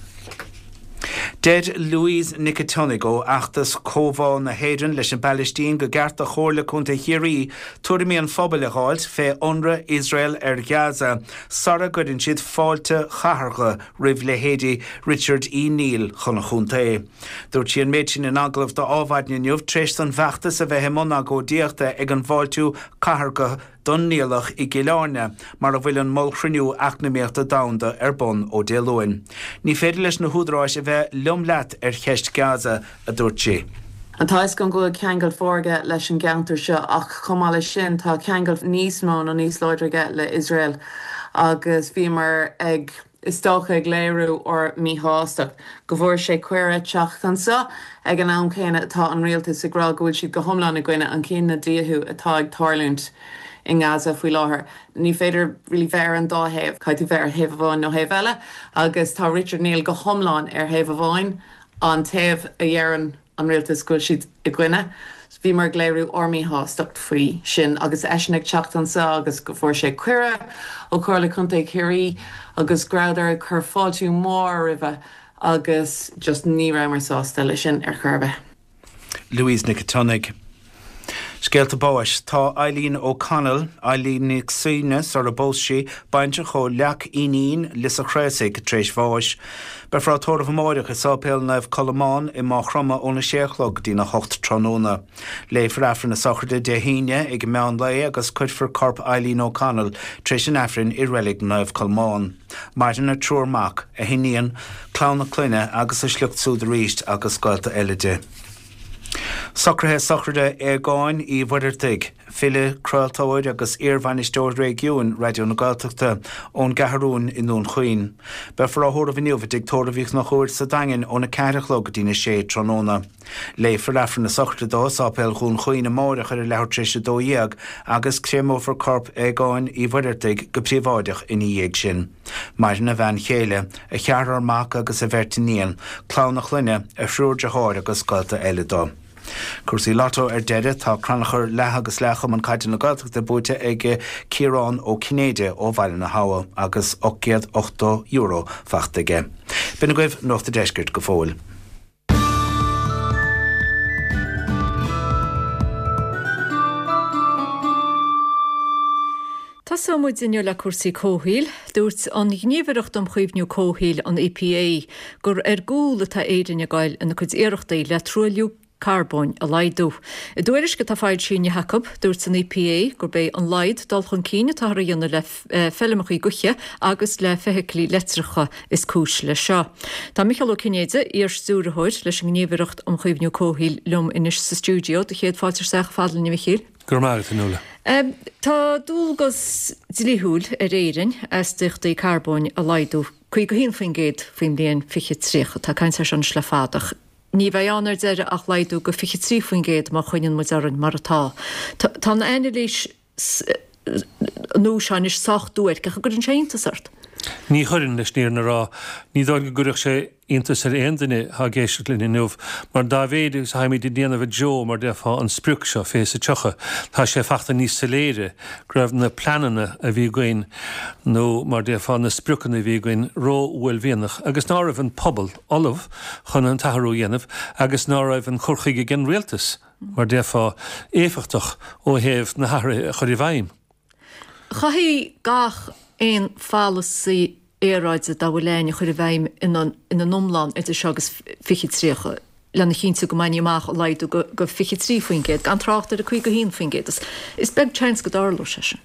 Deir Louise Nic a' tSionnaigh ó fheachtas Comhbhá na hÉireann leis an bPalaistín go gceart do Chomhairle Contae Chiarraí tuairimí an phobail a dh'fháilt fé ionradh Iosrael ar Ghaza sara gcuireann siad fáilte chathartha roimh leithéidí Richard E. Neill chun an chontae. Dúirt sí an méid sin in agallamh do Adhmhaidin inniu tar éis don bhfeachtas a bheith i mbun agóidíochta ag an bhfáiltiú cathartha don Niallach i gCill Airne, mar a bhfuil an Mollchruinniú Eacnamaíochta Domhanda ar bun ó Dé Luain. Ní féidir leis na húdaráis a bheith liom leat ar cheist Gaza, a dúirt sí. Tá a fhios agam go bhfuil ceangal mhór aige leis an gceantar seo ach chomh maith leis sin tá ceangal níos mó nó níos láidre aige le Iosrael agus bhíomar ag, is dócha, ag léiriú ár míshástacht go bhfuair sé cuireadh teacht anseo ag an am céanna atá an rialtas ag rá go bhfuil siad go hiomlán i gcoinne an chinedhíothú atá ag tarlúint i nGaza faoi láthair. Ní féidir really bheith ar an dá thaobh, caithfidh tú bheith ar thaobh amháin nó thaobh eile agus tá Richard Neill go hiomlán ar thaobh amháin, an taobh a dheireann. an rialtas go bhfuil siad i gcoinne. Bhíomar ag léiriú ár míshástacht faoi sin agus eisean ag teacht anseo agus go bhfuair sé cuireadh ó Chomhairle Contae Chiarraí agus go rabhadar ag cur fáiltiú mór roimhe agus just ní rabhamar sásta le sin ar chor ar bith. Louise Nic Tionnaigh. Scéalta báis. Tá Eileen O'Connell, Eileen Nic Suibhne sara bpós sí, baintreach ó Leac Fhínín, Lios a' Chraosaigh, tar éis bháis. Beifear á tórramh amáireach i Sáipéal Naomh Colmán i Maigh Chromtha óna sé a chlog go dtína hocht tráthnóna. Léifear Aifreann na sochraide Dé hAoine ag meán lae agus cuirfear corp Eileen O'Connell tar éis an Aifrinn i Reilig Naomh Colmán. Maireann a triúr mac, a hiníon, clann a clainne agus a sliocht súd arís agus gaolta eile di. Socruithe sochraide Aogáin Uí Mhuireadhaigh, file, craoltóir agus iarbhainisteoir réigiúin Raidió na Gaeltachta, ón gCeathrúin i nDún Chaoin. Beifear á thórramh inniu i dTigh Tórraimh Uí Chonchúir sa Daingean óna 4 a chlog go dtína 6 tráthnóna. Léifear Aifreann na sochraide dó i Sáipéal Dhún Chaoin amáireach ar a leathuair tar éis 12 agus créamófar corp Aogáin Uí Mhuireadhaigh go príobháideach ina dhiaidh sin. Maireann a bhean chéile, a cheathrar mac agus a bheirt iníon, clann a chlainne, a thriúr deartháir agus gaolta eile dó. Cúrsaí Lotto ar deireadh, tá crannchur leath agus leath Chumann Caide na Gaeltachta buaite ag Ciarán Ó Cinnéide ó Bhaile na hAbha agus €880 faighte aige. B'in agaibh Nuacht a' Deiscirt go fóill. Tosóidh muid inniu le cúrsaí comhshaoil. Dúirt an Ghníomhaireacht um Chaomhnú Comhshaoil, an EPA, gur ar gcúl atá Éirinn ag goil ina cuid iarrachtaí le truailliú carbóin a laghdú. I dtuairisc atá foilsithe inniu acu, dúirt an EPA gurb é an laghad dul chun cinn atáthar a dhéanamh le feilmeacha gaoithe agus le feithiclí leictreacha is cúis leis seo. Tá Micheál Ó Cinnéide, iar-stiúrthóir leis an nGníomhaireacht um Chaomhnú Comhshaoil liom anois sa stiúideo. Do chéad fáilte isteach chomh fada linn a Mhichíl. Go raibh maith agat, a Fhionnuala. Tá dualgas dlíthiúil ar Éirinn astaíochtaí carbóin a laghdú 51% faoin mbliain 2030. Tá caint air seo anois le fada ach ní bheidh ann ar deireadh ach laghdú go 23% má choinníonn muid orainn mar atá. Tá an anailís nua seo anois sách duairc ach an gcuireann sé iontas ort? Ní chuireann, leis an fhírinne a rá. Ní dóigh liom go gcuirfeadh sé iontas ar aon duine atá ag éisteacht linn inniu, mar dá mhéid agus atháimid ag déanamh i dtreo, mar déarfá, an sprioc seo, 2030, tá sé fachta níos soiléire go raibh na pleananna a bhí againn, nó mar déarfá, na spriocanna a bhí againn, ró-uaillmhianach agus ná raibh an pobal ullamh chun an t-athrú a dhéanamh agus ná raibh an cur chuige ag an rialtas, mar déarfá, éifeachtach ó thaobh na hathruithe a chur i bhfeidhm. Chaithfí gach aon pholasaí aeráide dá bhfuil ann a chur i bhfeidhm ina n-iomlán idir seo agus 2030 lena chinntiú go mbainfí amach an laghdú go 23%, gan trácht ar an 51%. Is beag seans go dtarlóidh sé sin.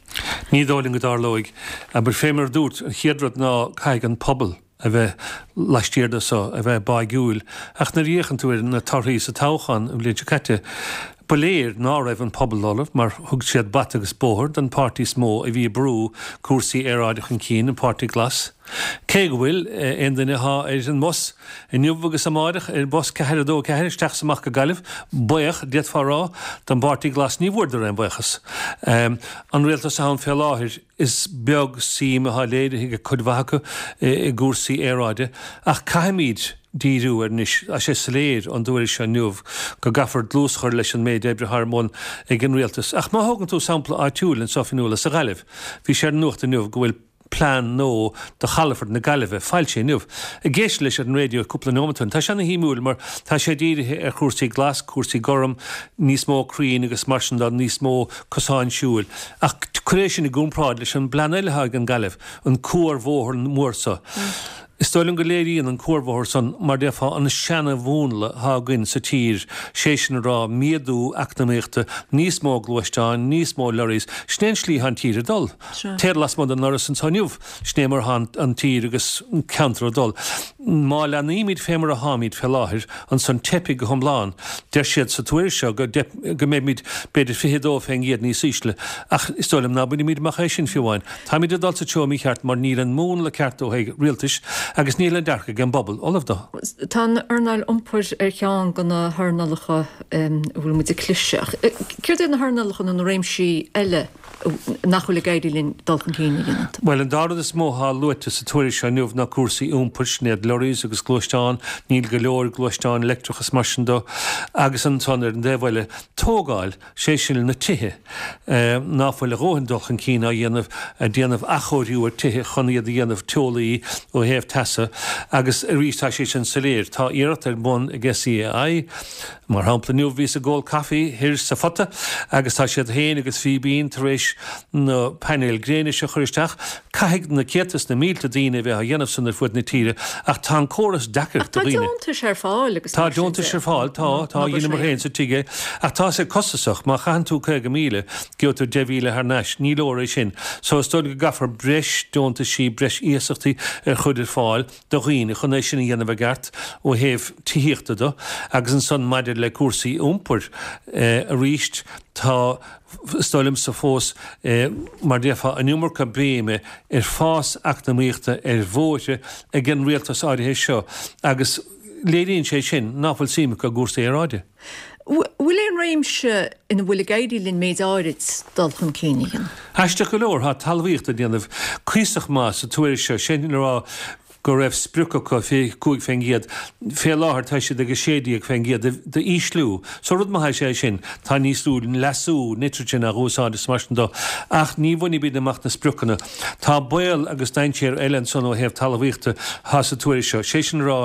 Ní dóigh liom go dtarlóidh. Abair, fé mar a dúirt, an chéad rud ná caithfidh an pobal a bheith laistiar de so, a bheith báigiúil. Ach nuair a fhéachann tú ar na torthaí sa toghchán an bhliain seo caite, ba léir ná raibh an pobal ullamh mar thug siad bata agus bóthar don pháirtí is mó a bhí ag brú cúrsaí aeráide chun cinn, an Páirtí Glas. Cé go bhfuil aon duine athá ar an mbus inniu agus amáireach, ar bhus 424 isteach is amach go Gaillimh, buíoch, d'fhéadfá a rá, don bPáirtí Glas, ní bhfuaireadar aon bhuíochas. An rialtas atá ann fé láthair, Is beag suim atá léirithe ag cuid mhaith acu i gcúrsaí aeráide, ach caithfimid díriú air anois. Tá sé soiléir ón dtuairisc seo inniu go gcaithfear dlús a chur leis an méid oibre atá ar bun ag an rialtas. Ach má thógann tú sampla áitiúil anseo, a Fhionnuala, sa Ghaillimh, bhí sé ar an nuacht inniu go bhfuil plean nua do chalafort na Gaillimhe foilsithe inniu. Ag éisteacht leis ar an raidió cúpla nóiméad ó shin, tá sé ana shuimiúil mar tá sé dírithe ar chúrsaí glas, cúrsaí gorm, níos mó crainn agus mar sin de, níos mó cosáin siúil. Ach cuir é sin i gcomparáid leis an bplean eile atá ag an Gaillimh, an cuarbhóthar mór so. Is dóigh liom go léiríonn an cuarbhóthar san, mar déarfá, an seana-mhúnla atá againn sa tír, sé sin a rá, méadú eacnamaíochta, níos mó gluaisteáin, níos mó lorries. Sin é an slí atá an tír ag dul. Téir lasmuigh den ndoras anso inniu, sin é mar atá an tír agus an ceantar ag dul. Má leanaímid fé mar atháimid fé láthair, ansan teipfidh go hiomlán. Deir siad sa tuairisc seo go go mbeimid b'fhéidir 22% níos ísle, ach is dóigh liom ná bainfimid amach é sin fiú amháin. Táimid ag dul sa treo mícheart mar níl an múnla ceart ó thaobh rialtais. Agus níl an dearcadh ag an bpobal ullamh dó. Tá an earnáil iompair ar cheann de na hearnálacha a bhfuil muid ag cliseadh. Céard iad na hearnálacha nó na réimsí eile nach bhfuil ag éirí linn dul chun cinn a dhéanamh? Bhuel, an dá rud is mó atá luaite sa tuairisc seo inniu ná cúrsaí iompair, sin iad lorries agus gluaisteáin, níl go leor gluaisteáin leictreach is mar sin dó, agus ansan ar an dtaobh eile, tógáil, sé sin na tithe, ná fuil a dhóthain dul chun cinn á dhéanamh, ag déanamh athchóiriú ar tithe chun iad a dhéanamh teolaí ó thaobh teasa agus arís tá sé sin soiléir, tá iarracht ar bun ag SEAI, Mar shampla, inniu bhíos ag ól caife thoir sa Phota agus tá siad féin agus Fíbín tar éis na painéil gréine seo a chur isteach. Caithfidh na céadta is na mílte daoine a bheith á dhéanamh san ar fuaid na tíre ach tá an córas deacair do dhaoine. Tá deontais ar fáil agus Tá deontais ar fáil, tá, tá, dheineamar féin sa tigh é. Ach tá sé costasach, má chaitheann tú 50,000, gheobhaidh tú 10,000 thar n-ais, ní leor é sin. So is dóigh go gcaithfear breis deontaisí, breis iasachtaí a chur ar fáil. do dhaoine chun é sin a dhéanamh i gceart ó thaobh tithíochta do agus ansan maidir le cúrsaí iompair arís tá is dóigh liomsa fós mar déarfá an iomarca béime ar fás eacnamaíochta ar bhóithre ag an rialtas áirithe seo agus léiríonn sé sin ná fuil suim acu i gcúrsaí aeráide. Bhfuil aon réimse ina bhfuil ag éirí linn méid áirid dul chun cinn a dhéanamh? Aisteach go leor, tá talmhaíocht ag déanamh cuíosach maith sa tuairisc seo, sin le rá go raibh sprioc acu 25%, fé láthair tá siad ag 16% d'ísliú. So rud maith is ea é sin, tá níos lú leasú, nitrogen, á úsáid is mar sin dó, ach ní bhainfimid amach na spriocanna. Tá baol agus dainséar eile ansan ó thaobh talmhaíochta atá sa tuairisc seo, sé sin le rá,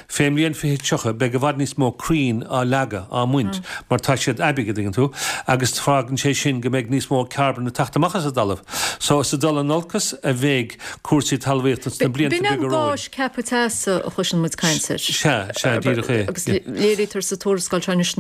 Fén mbliain 2030 beidh i bhfad níos mó crainn á leagadh, á mbaint, mar tá siad aibithe, an dtuigeann tú, agus fágann sé sin go mbeidh níos mó carbon ag teacht amach as an dtalamh. So is ag dul in olcas a bheidh cúrsaí talmhaíochta sna blianta B'in beaga an romhainn. gás ceaptha teasa a chloiseann muid caint air. Sea, sea, díreach é. Agus léirítear sa tuarascáil seo anois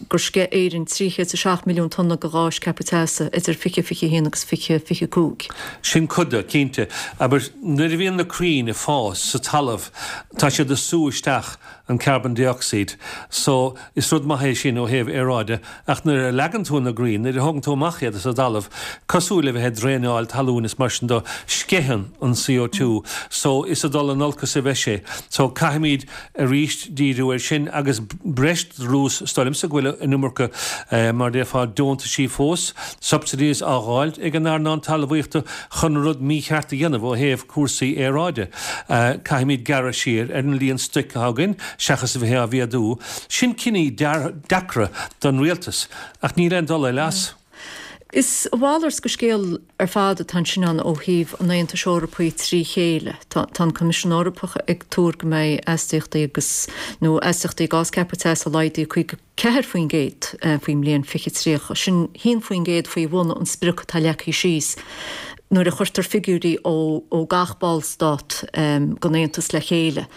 gur sceith Éirinn 307 milliún tonna de ghás ceaptha teasa idir 2021 agus 2025. Sin cuid de, cinnte. Abair, nuair a bhíonn na crainn ag fás sa talamh, tá siad ag sú isteach an carbon dioxide. So, is rud maith é sin ó thaobh aeráide, ach nuair a leagann tú na crainn, nuair a thógann tú amach iad as an dtalamh, cosúil le bheith ag draenáil talún is mar sin de, sceitheann an CO2. So, is ag dul in olcas a bheidh sé. So, caithfimid arís díriú air sin agus breis dlús, is dóigh liomsa go bhfuil an iomarca, mar a déarfá, deontaisí fós, subsidies, á dh'fháilt ag an earnáil talmhaíochta chun rud mícheart a dhéanamh ó thaobh cúrsaí aeráide. Caithfimid gearradh siar ar an líon stoic atá againn seachas a bheith á mhéadú. Sin cinní deacra don rialtas ach níl aon dul eile as. Is a mhalairt de scéal ar fad atá ansin ann ó thaobh an Aontais Eorpaigh trí chéile. Tá an Coimisiún Eorpach ag tuar go mbeidh astaíochtaí agus, nó astaíochtaí gás ceaptha teasa laghdaithe 54% faoin mbliain 2030. Sin 1% faoi bhun an sprioc atá leagtha síos nuair a chuirtear figiúirí ó gach ballstát den Aontas le chéile.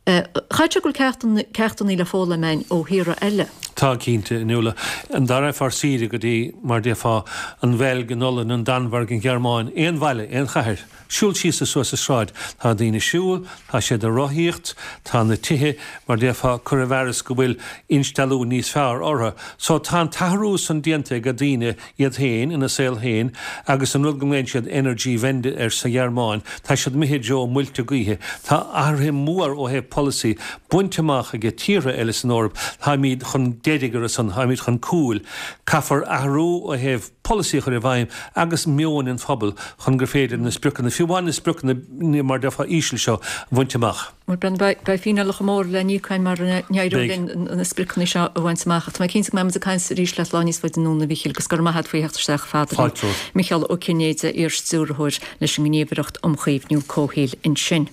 Chaithfeadh sé go bhfuil ceachtanna le foghlaim againn ó thíortha eile. Tá, cinnte, a Nuala. An dá rachfá ar saoire go dtí, mar déarfá, an Bheilg, an Ollainn, an Danmhairg, an Ghearmáin, aon bhaile, aon chathair, siúl síos is suas an sráid, tá daoine ag siúl, tá siad ag rothaíocht, tá na tithe, mar déarfá, curtha i bhfearas go bhfuil instealladh níos fearr orthu. So tá an t-athrú san déanta ag daoine iad féin ina saol féin agus an rud go nglaonn siad Energiewende air sa Ghearmáin, tá siad imithe i dtreo muilte gaoithe. Tá athruithe mór ó thaobh polasaí bainte amach ag tíortha eile san Eoraip, táimid chun deiridh ar a son, táimid chun cúil. Caithfear athrú ó thaobh polasaí a chur i bhfeidhm agus meoin an phobail chun gur féidir na spriocanna, fiú amháin na spriocanna mar déarfá íseal seo, a bhaint amach. Bhuel, Brendan, beidh fíneálacha móra le n-íoc againn mara n-éireoidh linn na spriocanna seo a bhaint amach. Ach tá mé cinnte go mbeidh muid ag caint arís leat lá níos faide anonn, a Mhíchíl, agus go raibh maith agat faoi theacht isteach fada linn. Fáilte romhat. Micheál Ó Cinnéide, iar-stiúrthóir leis an nGníomhaireacht um Chaomhnú Comhshaoil ansin.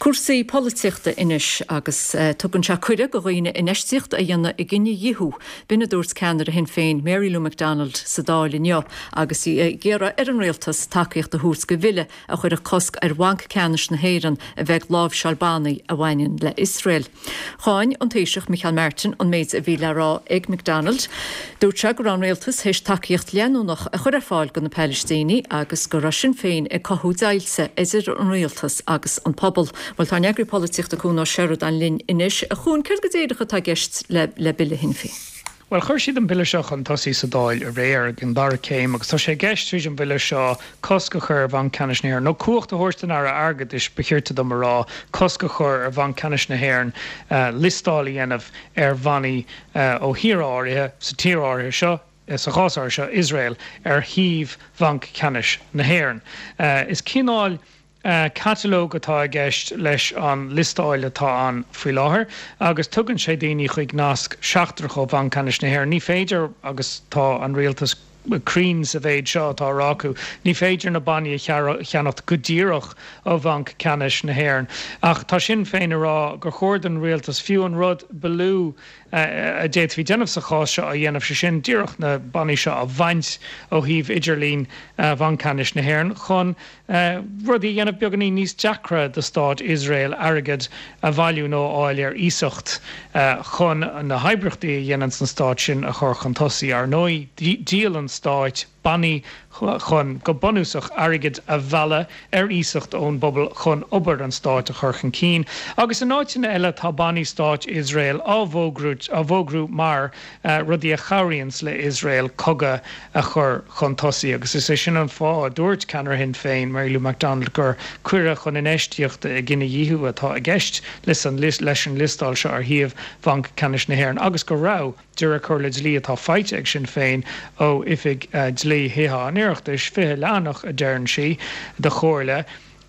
Cúrsaí polaitíochta anois agus tugann sé cuireadh do dhaoine infheistíocht a dhéanamh i gcinedhíothú. B'in a dúirt ceannaire Shinn Féin, Mary Lou McDonald sa Dáil inniu agus í ag iarraidh ar an Rialtas tacaíocht a thabhairt do bhille a chuirfeadh cosc ar Bhanc Ceannais na hÉireann a bheith ag láimhseáil bannaí a bhaineann le Iosrael. Cháin an Taoiseach Micheál Martin an méid a bhí le rá ag McDonald. Dúirt sé go raibh an rialtas théis tacaíocht leanúnach a chur ar fáil do na Palaistínigh agus go raibh Sinn Féin ag cothú deighilte idir an rialtas agus an pobal. Bhuel, tá ár n-eagraí polaitíochta Cuan Ó Seireadáin linn anois. A Chuain, céard go díreach atá i gceist le bille Shinn Féin? Bhuel, chuir siad an bille seo chun tosaigh sa Dáil aréir ag an dara céim agus tá sé i gceist tríd an bhille seo cosc a chur ar Bhanc Ceannais na hÉireann, nó cumhacht a thabhairt don Aire Airgeadais, ba chirte dom a rá, cosc a chur ar Bhanc Ceannais na hÉireann liostáil a dhéanamh ar bhannaí ó thíortha áirithe, sa tír áirithe seo, sa chás áirithe seo, Iosrael, ar shuíomh Bhanc Ceannais na hÉireann. Is cineál. Catalóg atá i gceist leis an liostáil atá ann faoi láthair agus tugann sé daoine chuig nasc seachtrach ó Bhanc Ceannais na hÉireann. Ní féidir, agus tá an Rialtas cruinn sa mhéid seo atá á rá acu, ní féidir na bannaí a cheannacht go díreach ó Bhanc Ceannais na hÉireann. Ach tá Sinn Féin ag rá gur chóir don Rialtas fiú an rud ba lú a d'fhéadfaí déanamh sa chás seo a dhéanamh, sé sin díreach na bannaí seo a bhaint ó shuíomh idirlín Bhanc Ceannais na hÉireann chun rudaí a dhéanamh beagáinín níos deacra do stát Iosrael airgead a bhailiú nó a fháil ar iasacht chun na hoibríochtaí a dhéananns an stát sin a chur chun tosaigh. Ar ndóigh, díolann stáit bannaí chun, go bunúsach, airgead a mhealladh ar iasacht ón bpobal chun obair an stáit a chur chun cinn. Agus in áiteanna eile tá bannaí stáit Iosrael á bhfógrú mar rudaí a chabhraíonns le Iosrael cogadh a chur chun tosaigh agus is é sin an fáth a dúirt ceannaire Shinn Féin, Mary Lou McDonald, gur cuireadh chun infheistíochta i gcinedhíothú atá i gceist leis an liostáil seo ar shuíomh Bhanc Ceannais na hÉireann agus go raibh, de réir comhairle dlí atá faighte ag Sinn Féin ó Oifig Dlí Thithe an Oireachtais, 20 leathanach a deireann sí, de chomhairle,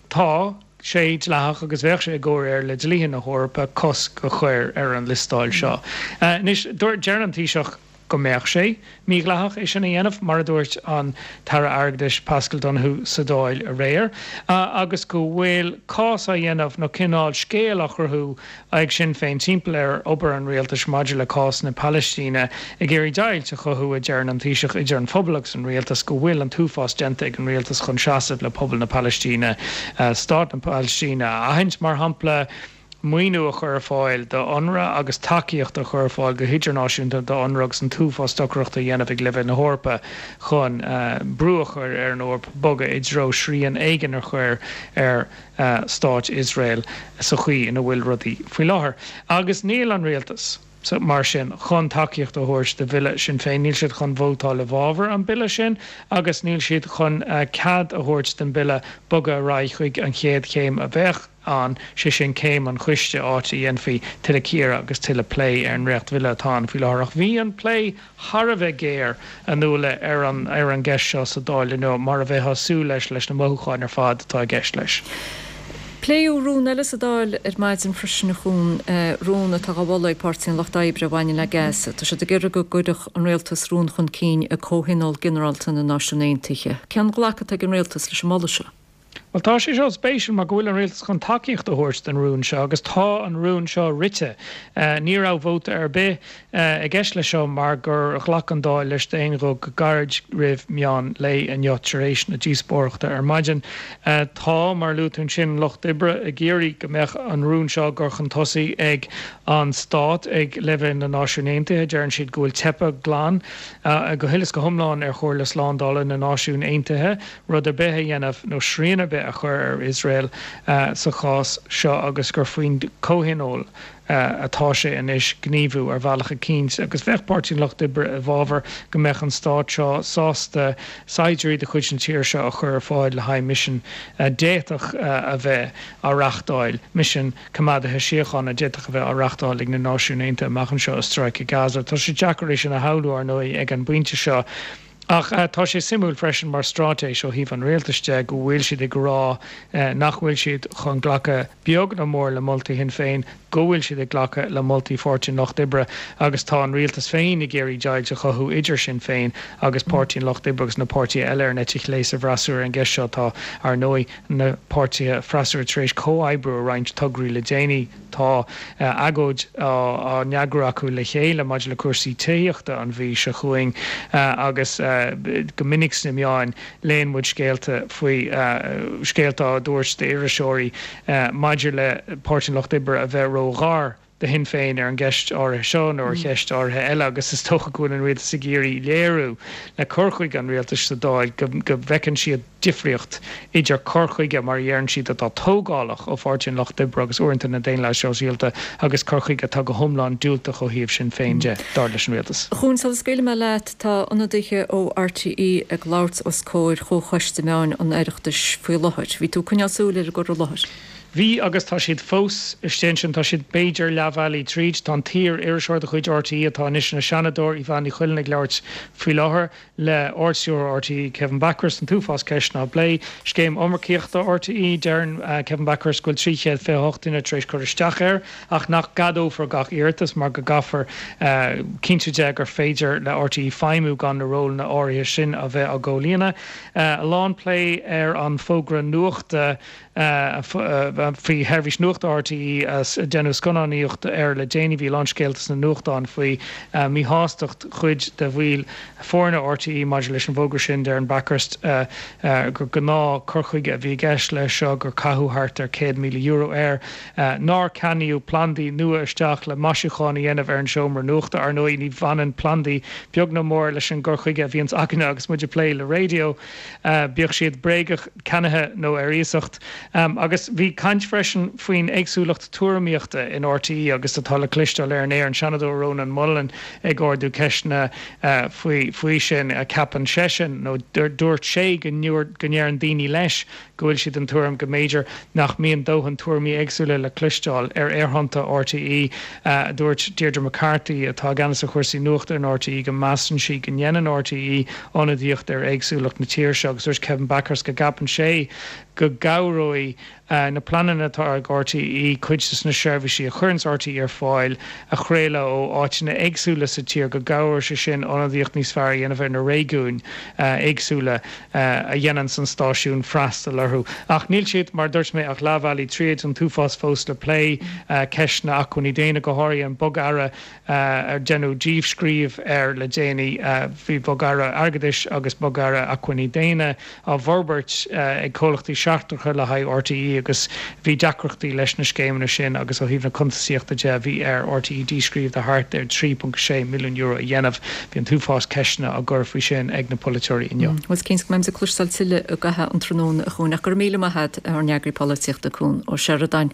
tá sé dleathach agus bheadh sé i gcomhréir le dlíthe na hEorpa cosc a chur ar an liostáil seo. Anois, deireann an Taoiseach go mbeadh sé mídhleathach é sin a dhéanamh, mar a dúirt an tAire Airgeadais Paschal Donohoe sa Dáil aréir, agus go bhfuil cás á dhéanamh nó cineál scéal á chruthú ag Sinn Féin timpeall ar obair an rialtais maidir le cás na Palaistíne, ag iarraidh deighilt a chothú, a deireann an Taoiseach, idir an phobal agus an rialtas, go bhfuil an t-uafás déanta ag an rialtas chun seasamh le pobal na Palaistíne, stát na Palaistíne a aithint, mar shampla, maoiniú a chur ar fáil do Unrwa agus tacaíocht a chur ar fáil go hidirnáisiúnta do Unrwa agus an t-uafás stocaireachta a dhéanamh ag leibhéal na hEorpa chun brú a chur ar an Eoraip bogadh i dtreo srian éigin a chur ar Stát Iosrael sa chaoi ina bhfuil rudaí faoi láthair. Agus níl an rialtas, mar sin, chun tacaíocht a thabhairt do bhille Sinn Féin, níl siad chun vótáil i bhfabhar an bille sin agus níl siad chun cead a thabhairt don bille bogadh ar aghaidh chuig an chéad chéim a bheadh ann, sé sin céim an choiste, áit a dhéanfaí tuilleadh cíoradh agus tuilleadh plé ar an ndréachtbhille atá ann faoi láthair. Ach bhí an plé thar a bheith géar, a Nuala, ar an ar an gceist seo sa Dáil inniu, mar a bheifeá ag súil leis, leis na mothúcháin ar fad atá i gceist leis. Pléadh rún eile sa Dáil ar maidin freisin, a Chuain, rún atá á mholadh ag Páirtí an Lucht Oibre a bhaineann le Gaza. Tá siad ag iarraidh go gcuirfeadh an rialtas rún chun cinn ag Comhthionól Ginearálta na Náisiún Aontaithe. Cén ghlacadh atá ag an rialtas leis an moladh seo? Bhuel, tá sé seo spéisiúil mar go bhfuil an rialtas chun tacaíocht a thabhairt don rún seo agus tá an rún seo rite. Ní raibh vóta ar bith i gceist leis seo mar gur ghlac an Dáil leis d'aon ghuth go gairid roimh meán lae inniu tar éis na díospóireachta ar maidin. Tá, mar a luaigh tú ansin, an Lucht Oibre ag iarraidh go mbeadh an rún seo á gcur chun tosaigh ag an stát ag leibhéal na Náisiún Aontaithe. Deireann siad go bhfuil teipthe glan go huile is go hiomlán ar Chomhairle Slándála na Náisiún Aontaithe. rud ar bith a dhéanamh nó srian ar bith a chur ar Iosrael sa chás seo agus gur faoin gComhthionól atá sé anois gníomhú ar bhealach eicínt agus bheadh Páirtí an Lucht Oibre i bhfabhar go mbeadh an stát seo sásta saighdiúirí de chuid na tíre seo a chur ar fáil le haghaidh misean a d'fhéadfadh a bheith á reachtáil, misean coimeádaithe síochána a d'fhéadfadh a bheith á reachtáil ag na Náisiúin Aontaithe amach anseo i Stráice Gaza. Tá sé deacair é sin a shamhlú, ar ndóigh, ag an bpointe seo. Ach tá sé suimiúil freisin mar straitéis ó thaobh an rialtais de go bhfuil siad ag rá nach bhfuil siad chun glacadh beag nó mór le moltaí Shinn Féin, go bhfuil siad ag glacadh le moltaí Pháirtí an Lucht Oibre agus tá an rialtas féin ag iarraidh deighilt a chothú idir Sinn Féin agus Páirtí an Lucht Oibre agus na páirtithe eile ar an eite chlé sa bhfreasúra ar an gceist seo. Tá, ar ndóigh, na páirtithe freasúra tar éis comhoibriú ar roinnt tograí le déanaí. Tá agóid á n-eagrú acu le chéile maidir le cúrsaí tithíochta an mhí seo chugainn agus go minic sna meáin léann muid scéalta faoi, scéalta á dtabhairt d'iriseoirí maidir le Páirtí an Lucht Oibre a bheith ró-ghar. do Shinn Féin ar an gceist áirithe seo nó ar cheist áirithe eile agus is dócha go bhfuil an rialtas ag iarraidh léiriú le cur chuige an rialtais sa Dáil go bhfeiceann siad difríocht idir cur chuige, mar a dheireann siad, atá tógálach ó Pháirtí an Lucht Oibre agus uaireanta na Daonlathaithe Sóisialta agus cur chuige atá go hiomlán diúltach ó thaobh Sinn Féin de, dar leis an rialtas. A Chuain, sula scaoilfidh mé leat, tá ionadaithe ó RTÉ ag labhairt os comhair Chomhchoiste Meáin an Oireachtais faoi láthair. Bhí tú ag coinneáil súil ar an gcur i láthair. Bhí agus tá siad fós istigh ansin. Tá siad b'fhéidir leath bhealaigh tríd. Tá an t-iar-iriseoir de chuid RTÉ atá anois ina Seanadóir, Yvonne Ní Chuilinn, ag labhairt faoi láthair le Ard-Stiúrthóir RTÉ Kevin Bakhurst, an t-uafás ceisteanna á bplé. Scéim iomarcaíochta RTÉ, Deireann Kevin Bakhurst go bhfuil 328 duine tar éis cur isteach air ach nach gceadófar gach iarratas mar go gcaithfear cinntiú de gur féidir le RTÉ feidhmiú gan na rólanna áirithe sin a bheith á gcomhlíonadh. A lán plé ar an bhfógra nuachta faoi sheirbhís nuachta RTÉ a deineadh scannánaíocht air le déanaí. Bhí a lán scéalta sna nuachtáin faoi mhíshástacht chuid de bhaill foirne RTÉ maidir leis an bhfógra sin. Deireann Bakhurst gur gnáth cur chuige a bhí i gceist leis seo, gur caitheadh thart ar €100,000 air, nár ceannaíodh plandaí nua isteach le maisiúcháin a dhéanamh ar an seomra nuachta. Ar ndóigh ní bhaineann plandaí beag ná mór leis an gcur chuige a bhíonns againne agus muid ag plé le raidió. bíodh siad bréagach, ceannaithe nó ar iasacht. Agus bhí caint freisin faoin éagsúlacht tuairimíochta in RTÉ agus atá le cloisteáil ar an aer, an Seanadóir Rónán Mullen ag ardú ceisteanna faoi faoi sin. Ceapann seisean, nó dúirt sé go ndeireann daoine leis go bhfuil siad den tuairim go mb'fhéidir nach mbíonn dóthain tuairimí éagsúla le cloisteáil ar aerthonnta RTÉ. Dúirt Deirdre McCarthy, atá i gceannas ar chúrsaí nuachta in RTÉ, go measann sí go ndéanann RTÉ ionadaíocht ar éagsúlacht na tíre seo agus dúirt Kevin Bakhurst go gceapann sé go gcabhróidh na pleananna atá ag RTÉ cuid de na seirbhísí a chuireanns RTÉ ar fáil a chraoladh ó áiteanna éagsúla sa tír, go gcabhróidh sé sin ionadaíocht níos fearr a dhéanamh ar na réigiúin éagsúla a dhéananns an stáisiún freastal orthu. Ach níl siad, mar a dúirt mé, ach leath bhealaigh tríd, an t-uafás fós le plé, ceist na acmhainní daonna, go háirithe an bogearra ar deineadh díscríobh air le déanaí. Bhí bogearra airgeadais agus bogearra acmhainní daonna á bhforbairt ag comhlachtaí seachtracha le haghaidh RTÉ agus bhí deacrachtaí leis na scéimeanna sin agus ó thaobh na cuntasaíochta de bhí ar RTÉ díscríobh de thart ar €3.6 milliún a dhéanamh. Bhí an t-uafás ceisteanna á gcur faoi sin ag na polaiteoirí inniu. Bhuel, is cinnte go mbeimid ag cloisteáil tuilleadh i gcaitheamh an tráthnóna a Chuain ach go raibh míle maith agat, ár n-eagraí polaitíochta Cuan Ó Seireadáin.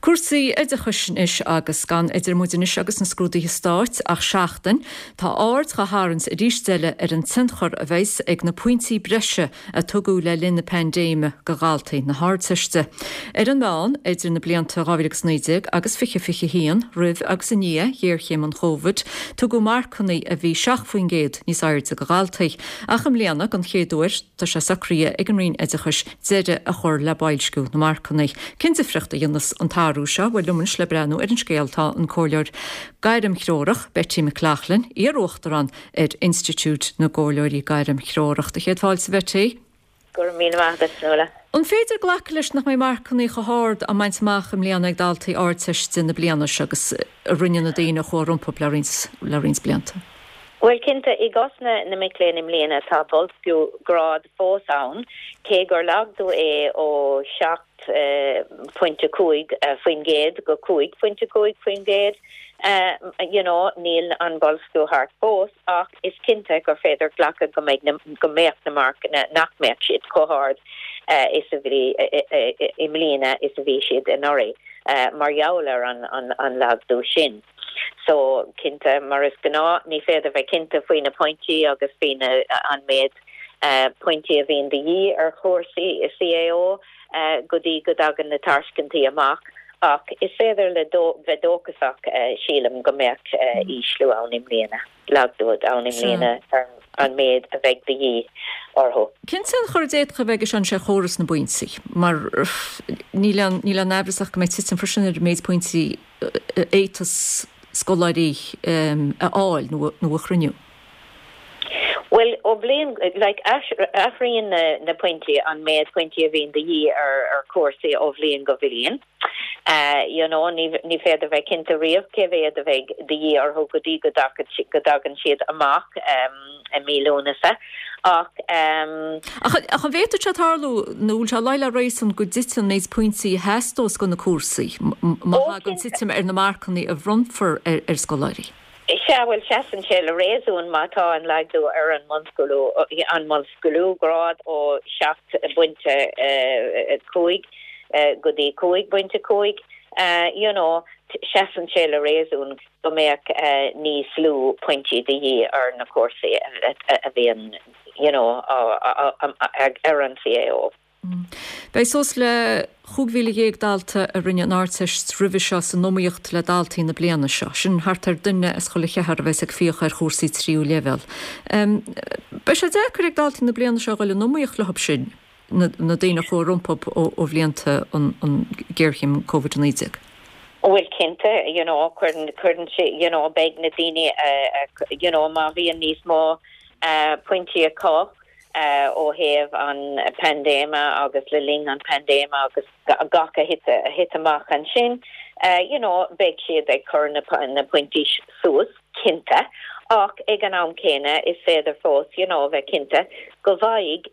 Cúrsaí oideachais anois agus gan idir muid anois agus na scrúduithe stáit ach seachtain, tá aird dhá tharraingt arís eile ar an tionchar a bheas ag na pointí breise a tugadh le linn na paindéime do dhaltaí na hArdteiste. Ar an meán, idir na blianta 2019 agus 2021, roimh agus i ndiaidh ghéarchéim an Chóivid, tugadh marcanna a bhí 7% níos airde do dhaltaí. Ach i mbliana, don chéad uair, tá sé socraithe ag an Roinn Oideachais deireadh a chur le boilsciú na marcanna. Cén difríocht a dhéanfas an t-athrú seo? Bhuel, liom anois le breathnú ar an scéal tá an comhairleoir gairmthreorach Betty McLaughlin, iar-uachtarán ar Institiúid na gComhairleoirí Gairmthreorach. Céad fáilte, Betty. Go raibh míle maith agat, Nuala. An féidir glacadh leis nach mbeidh marcanna chomh hard á mbaint amach i mbliana ag daltaí Ardteiste na bliana seo agus a rinne na daoine a chuaigh rompu le roinnt blianta? Bhuel, cinnte, i gcás na mic léinn i mbliana tá boilsciú grád fós ann, cé gur laghdú é ó 7.5% go 5.5%, you know, níl an boilsciú thart fós ach is cinnte gur féidir glacadh go mbeidh na, go mbeadh na marcanna, nach mbeadh siad chomh hard is a bhí i mbliana is a bhí siad anuraidh mar gheall ar an laghdú sin. So, cinnte, mar is gnáth, ní féidir bheith cinnte faoi na pointí agus faoi na, an méid pointí a bhíonn de dhíth ar chúrsaí i CAO go dtí go dtagann na tairscintí amach ach is féidir le bheith dóchasach, sílim, go mbeadh ísliú ann i mbliana, laghdú ann i mbliana ar an méid a bheidh de dhíth orthu. Cén tionchar a d'fhéadfadh a bheith aige sin ar chóras na bpointí? Mar níl aon, níl aon aimhreas ach go mbeidh titim freisin ar an méid pointí a fhéadfas scoláirí a fháil nó a chruinniú? Bhuel, ó bhliain, like, athraíonn na pointí, an méid pointí a bhíonn de dhíth ar chúrsaí ó bhliain go bliain. You know, ní ní féidir bheith cinnte riamh cé mhéad a bheidh de dhíth orthu go dtí go go dtagann siad amach i mí Lúnasa. Ach. Ach an bhféadfadh sé tarlú, nó bhfuil sé ag luí le réasún go dtiteann an méid pointí a theastós do na cúrsaí, má thagann titim ar na marcanna a bhronnfar ar scoláirí? Sea, bhuel, seasann sé le réasún má tá an laghdú ar an mbunscrúdú, an mbunscrúdú grád ó 7.5 go dtí 5.5, you know, seasann sé le réasún go mbeadh níos lú pointí de dhíth ar na cúrsaí a bhíonn, you know, ar an CAO. Beidh suas le 15,000 dalta a rinne an Ardteist roimhe seo san iomaíocht le daltaí na bliana seo. Sin thart ar duine as chuile cheathrar a bheas ag fiach ar chúrsaí tríú leibhéal. Beidh sé deacair ag daltaí na bliana seo a dhul in iomaíocht leo sin, na daoine a chuaigh rompu ó bhlianta an ghéarchéim Covid-19. Bhuel cinnte, you know, cuireann, cuireann sé, you know, beidh na daoine, you know, má bhíonn níos mó pointí acu, ó thaobh an paindéime agus le linn an paindéime agus gach a thit amach ansin, you know, beidh siad ag cur na pointí suas, cinnte, ach ag an am céanna is féidir fós, you know, bheith cinnte go bhfaighidh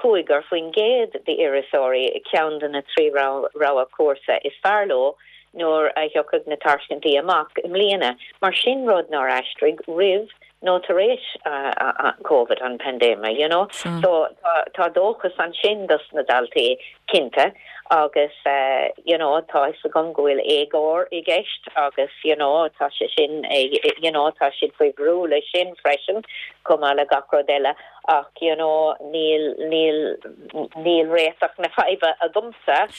85% d'iarratasóirí ceann de na 3 rogha cúrsa is fearr leo nuair a thiocfaidh na tairscintí amach i mbliana, mar sin rud nár aistrigh roimh nó tar éis Covid, an paindéime, you know. So tá dóchas ansin dos na daltaí, cinnte, agus you know tá fhios agam go bhfuil éagóir i gceist agus you know tá sé sin you know tá siad faoi bhrú leis sin freisin, chomh maith le gach rud eile ach you know níl níl níl réiteach na faidhbe agamsa,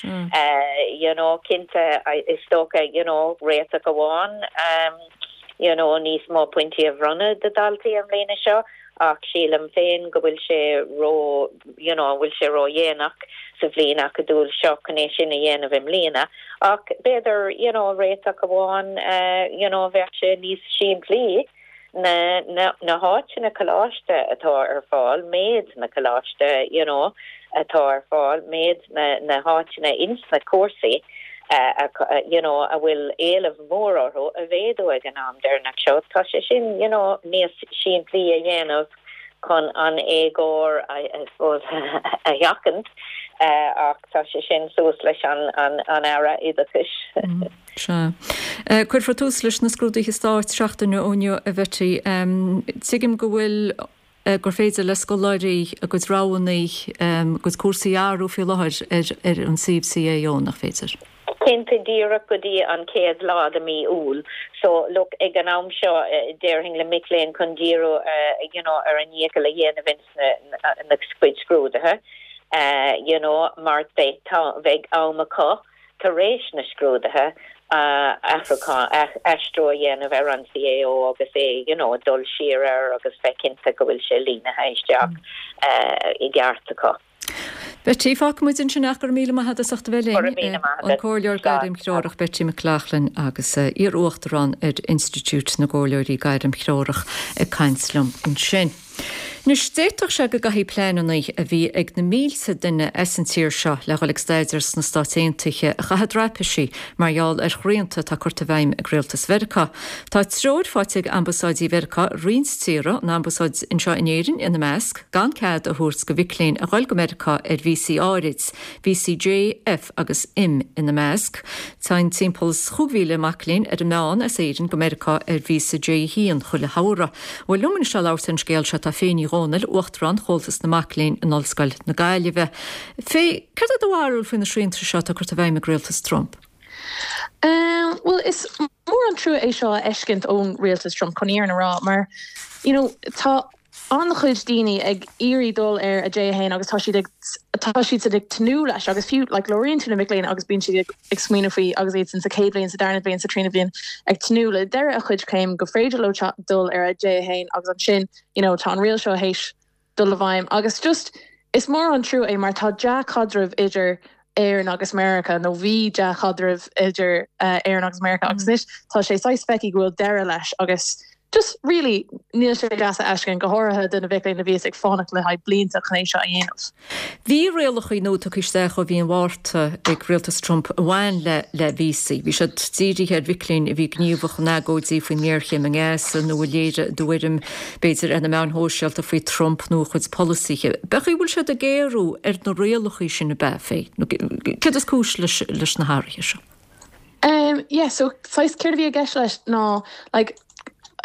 you know, cinnte is dócha you know réiteach amháin. you know níos mó pointí a bhronnadh do dhaltaí an mbliana seo ach sílim féin go bhfuil sé ró you know bhfuil sé ró-dhéanach sa bhliain acadúil seo chun é sin a dhéanamh i mbliana ach b'fhéidir you know réiteach amháin you know bheadh sé níos simplí na na na háiteanna coláiste atá ar fáil, méid na coláiste you know atá ar fáil, méid na na háiteanna ins na cúrsaí you know a bhfuil éileamh mór orthu a mhéadú ag an am deireanach seo. Tá sé sin you know níos simplí a dhéanamh chun an éagóir I suppose a sheachaint ach tá sé sin suas leis an an an Aire Oideachais. Sea. Cuirfear tús leis na scrúduithe stáit seachtain ó inniu a Bhetty. Tuigim go bhfuil gur féidir le scoláirí a gcuid roghanna, a gcuid cúrsaí a athrú faoi láthair ar an suíomh CAO, nach féidir? Cinnte, díreach go dtí an chéad lá de mí Iúil. So, look, ag an am seo, déarfainn le mic léinn chun díriú, you know, ar a ndícheall a dhéanamh ins na cuid scrúduithe, you know, mar beidh, beidh am acu tar éis na scrúduithe athrúchán, aistriú a dhéanamh ar an CAO agus é, you know, dul siar air agus bheith cinnte go bhfuil sé línithe isteach i gceart acu. Betty, fágfaidh muid ansin ach go raibh míle maith agat as ucht a bheith linn. Go raibh míle maith agat. An Comhairleoir Gairmthreorach Betty McLaughlin agus iar-uachtarán ar Institiúid na gComhairleoirí Gairmthreorach ag caint liom ansin. Anois, d'fhéadfadh sé go gcaithfidh pleananna a bhí ag na mílte duine as an tír seo le dhul ag staidéar sna Stáit Aontaithe a chaitheamh i dtraipisí mar gheall ar shrianta atá curtha i bhfeidhm ag rialtas Mheiriceá. Tá treoir faighte ag ambasáidí Mheiriceá i roinnt tíortha, an ambasáid anseo in Éirinn ina measc, gan cead a thabhairt do mhic léinn a ghoil go Meiriceá ar víosaí áirid, víosaí J, F agus M ina measc. Téann timpeall is 5,000 mac léinn ar an meán as Éirinn go Meiriceá ar víosa J1 chuile shamhradh. Bhuel, liom anois le labhairt ar an scéal seo tá Faye Ní Dhomhnaill, Uachtarán Chomhaltas na Mac Léinn in Ollscoil na Gaillimhe. Faye, céard é do bharúil faoi na srianta seo atá curtha i bhfeidhm ag rialtas Trump? Bhuel, is mór an trua é seo a fheiscint ón rialtas Trump, chun an fhírinne a rá, mar, you know, tá an-chuid daoine ag iarraidh dul ar a J1 agus tá siad ag, tá siadsan ag tnúth leis agus fiú, like, labhraíonn tú le mic léinn agus bíonn siad ag, ag smaoineamh faoi agus iadsan sa chéad bhliain, sa darna bliain, sa trína bhliain ag tnúth le deireadh a chuid céim go féidir leo dul ar a J1 agus ansin you know tá an riail seo théis dul i bhfeidhm agus just is mór an trua é mar tá dea-chaidreamh idir Éirinn agus Meiriceá nó bhí dea-chaidreamh idir Éirinn agus Meiriceá agus anois tá sé saghas feicthe go bhfuil deireadh leis agus. just really níl sé deas a fheiscint, go háirithe do na mhic léinn a bhíos ag fanacht le haghaidh blianta chun é seo a dhéanamh. Bhí rialacha nua tugtha isteach ó mhí an Mhárta ag rialtas Trump a bhain le le víosaí. Bhí siad dírithe ar mhic léinn a bhí gníomhach in agóidí faoin ngéarchéim i nGaza nó a léirigh a dtuairim, b'fhéidir, ar na meáin shóisialta faoi Trump nó a chuid polasaithe. B'é an chaoi a bhfuil siad ag géarú ar na rialacha sin ab ea, Faye? Nó céard is cúis leis na hathruithe seo? Um yeah so saghas céard a bhí i gceist leis ná like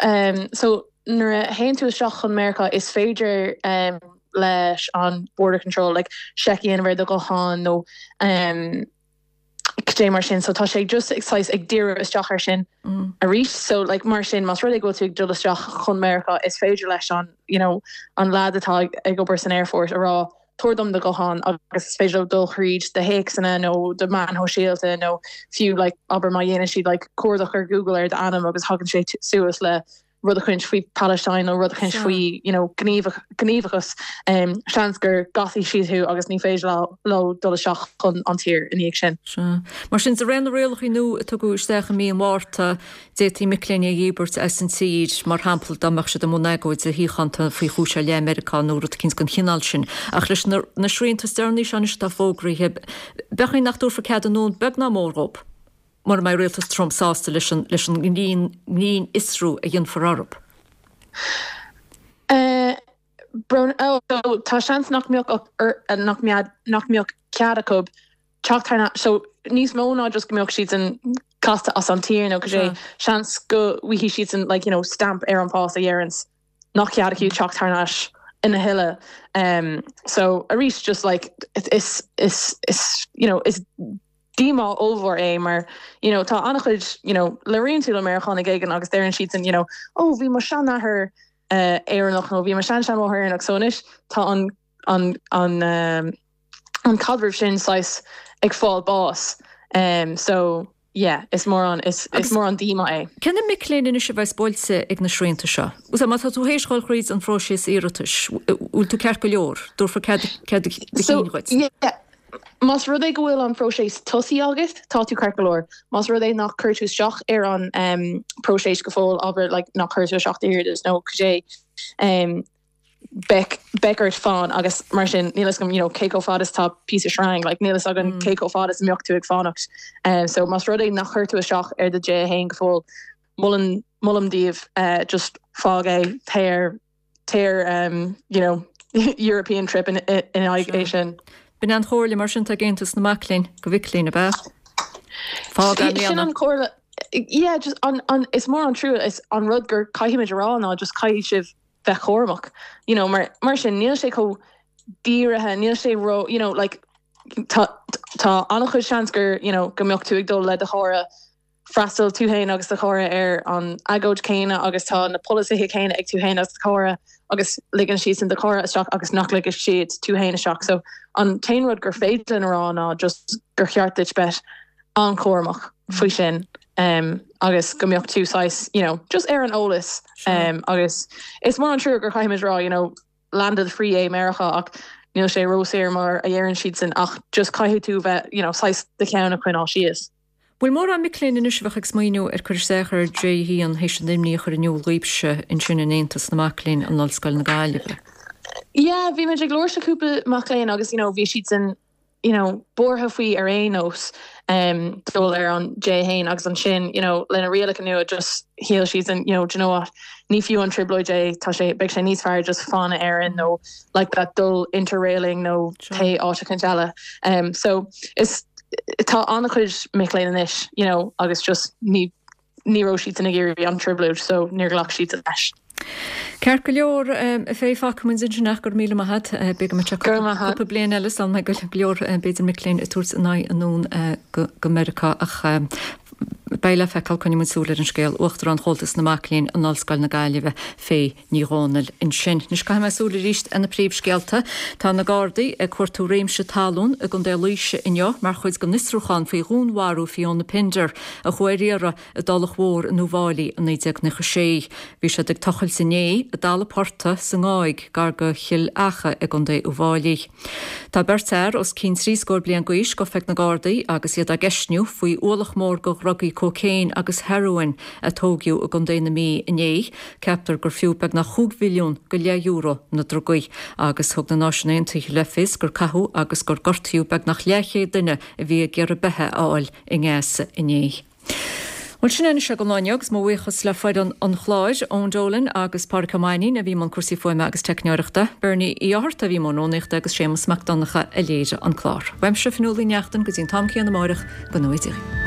um so nuair a théann tú isteach chun Meiriceá is féidir um leis an border control like seic a dhéanamh ar do ghuthán nó um cad é mar sin so tá sé just ag saghas ag díriú isteach ar sin arís so like mar sin más rud é go bhfuil tú ag dul isteach chun Meiriceá is féidir leis an you know an lad atá ag ag obair san aerfort a rá tabhair dom do ghuthán agus is féidir leo dul thríd do théacsanna nó do meáin shóisialta nó fiú like abair má dhéanann siad like cuardach ar Google ar d'ainm agus thagann sé suas le rud eicínt faoi Palestine nó rud eicínt faoi you know gníomhachas um, seans go gcasfaidh siad thú agus ní féidir leo dul isteach chun an tír ina dhiaidh sin. Sea. Mar sin, de réir na rialacha nua a tugadh isteach i mí an Mhárta, D'fhéadfaí mic léinn a dhíbirt as an tír, mar shampla, dá mbeadh siad i mbun agóide shíochánta faoi chúis ar leith i Meiriceá nó rud eicínt den chineál sin. Ach leis na srianta is deireanaí seo anois atá fógraithe, b'é an chaoi nach dtabharfar cead anonn beag ná mór dhóibh mura mbeidh rialtas Trump sásta leis an leis an ngrinnfhiosrú a dhéanfar orthu. Brón, tá seans nach mbeadh nach mbeadh cead acu teacht thar n-ais. So, níos mó ná just go mbeadh siadsan casta as an tír nó cad é, seans go bhfaighidh siadsan like, you know, stamp ar an pás a dheireanns nach cead acu teacht thar n-ais a thuilleadh. Um, so, arís, just like, is, is, is, you know, is díomá ollmhór é mar, you know, tá an-chuid, you know, labhraíonn tú le Meiriceánaigh éigin agus deireann siadsan, you know, oh, bhí mo seanathair uh, Éireannach nó bhí mo sean-seanmháthair Éireannach, so anois tá an, an, an, um, an caidreamh sin saghas ag fáil bás so yeah is mór an is is mór an díomá é. Cé na mic léinn anois a bheas buailte ag na srianta seo? Bhuel má tá tú théis dhul thríd an phróiseas iarratais, bhfuil tú ceart go leor? Dtabharfar cead cead do So chinn dhuit? yeah más rud é go bhfuil an phróiseas tosaithe agat, tá tú ceart go leor. Más rud é nach chuir tú isteach ar an um próiseas go fóill, abair like nach chuir tú isteach d'iarratas nó cad é um beidh beidh ort fán agus mar sin níl fhios agam you know cé chomh fada is atá píosa sreang like níl fhios agam cé chomh fada is a mbeadh tú ag fanacht um so más rud é nach chuir tú isteach ar do J1 go fóill molaim molaim daoibh uh just fág é téir ar téir um you know European trip in in aghaidh é sin. B'in an chomhairle mar sin atá ag Aontas na Mac Léinn do mhic léinn ab ea? Fág é i Sin mbliana. an chomhairle yeah just an an is mór an trua is an rud gur caithfimid a rá ná just caithfidh sibh bheith cúramach you know mar mar sin níl sé chomh dírithe níl sé ró you know like tá tá an-chuid seans gur you know go mbeadh tú ag dul le do chara freastal tú féin agus do chara ar an agóid céanna agus tá na polasaithe céanna ag tú féin agus do chara agus ligeann siadsan do chara isteach agus nach ligfidh siad tú féin isteach so an t-aon rud gur féidir linn a rá ná just gur cheart duit bheith an-chúramach faoi sin agus go mbeadh tú saghas you know just ar an eolas agus is mór an trua gur chaithfimid rá you know land of the free é Meiriceá ach níl sé róshaor mar a dheireann siadsan ach just caithfidh tú bheith you know saghas do cheann a choinneáil síos. Bhfuil mórán mic léinn anois a bheadh ag smaoineamh ar cur isteach ar J1 théis an imní a chur in iúl dhaoibhse ansin in Aontas na Mac Léinn in Ollscoil na Gaillimhe? Yeah, bhí muid ag labhairt le cúpla mac léinn agus you know bhí siadsan you know, buartha faoi ar aon nós um, dul ar an J1 agus ansin, you know, lena rialacha nua just shíl siadsan, you know, do you know what, ní fiú an trioblóid é, tá sé, beidh sé níos fearr just fan in Éirinn nó like that dul interrailing nó pé áit eicínt eile. Um, so is tá an-chuid mic léinn anois, you know, agus just ní ní raibh siadsan ag iarraidh an trioblóid so níor ghlac siadsan leis. Ceart go leor, a Faye, fágfaidh muid ansin é, go raibh míle maith agat. B'fhéidir go mbeidh sé cúpla bliain eile sula mbeidh go leor b'fhéidir mic léinn ag tabhairt a n-aghaidh anonn go Meiriceá ach beidh le feiceáil, coinneoidh muid súil ar an scéal. Uachtarán Chomhaltas na Mac Léinn in Ollscoil na Gaillimhe, Faye Ní Dhomhnaill ansin. Anois caithfidh mé súil arís ar na príomhscéalta. Tá na Gardaí ag cuartú réimse talún i gContae Laoise inniu mar chuid den fhiosrúchán faoi dhúnmharú Fiona Pinder, a chuaigh ar iarraidh i dTulach Mhór in Uíbh Fhailí i 1996. Bhí siad ag tochailt inné i dtalamh portaigh sa nGáig, gar do Chill Acha i gContae Uíbh Fhailí. Tá beirt fhear os cionn trí scór bliain d'aois gafa ag na Gardaí agus iad á gceistniú faoi ualach mór de dhrugaí. cócaon agus hearóin a tóigeadh i gContae na Mí inné. Ceaptar gur fiú beagnach chúig mhilliún go leith euro na drugaí agus thug na Náisiúin Aontaithe le fios gur caitheadh agus gur gortaíodh beagnach leathchéad duine a bhí ag iarraidh beatha a fháil i nGaza inné. Bhuel, sin é anois é don lá inniu agus mo bhuíochas le foireann an chláir, Eoin Dolan agus Pádraic Ó Mainnín a bhí i mbun cúrsaí fuaime agus teicneoireachta, Bernie Uí Fhátharta a bhí i mbun rúnaíochta agus Séamus Mac Donncha a léirigh an clár. Uaimse, Fionnuala Uí Neachtain, go dtí an t-am céanna amáireach, go ngnóthaí Dia.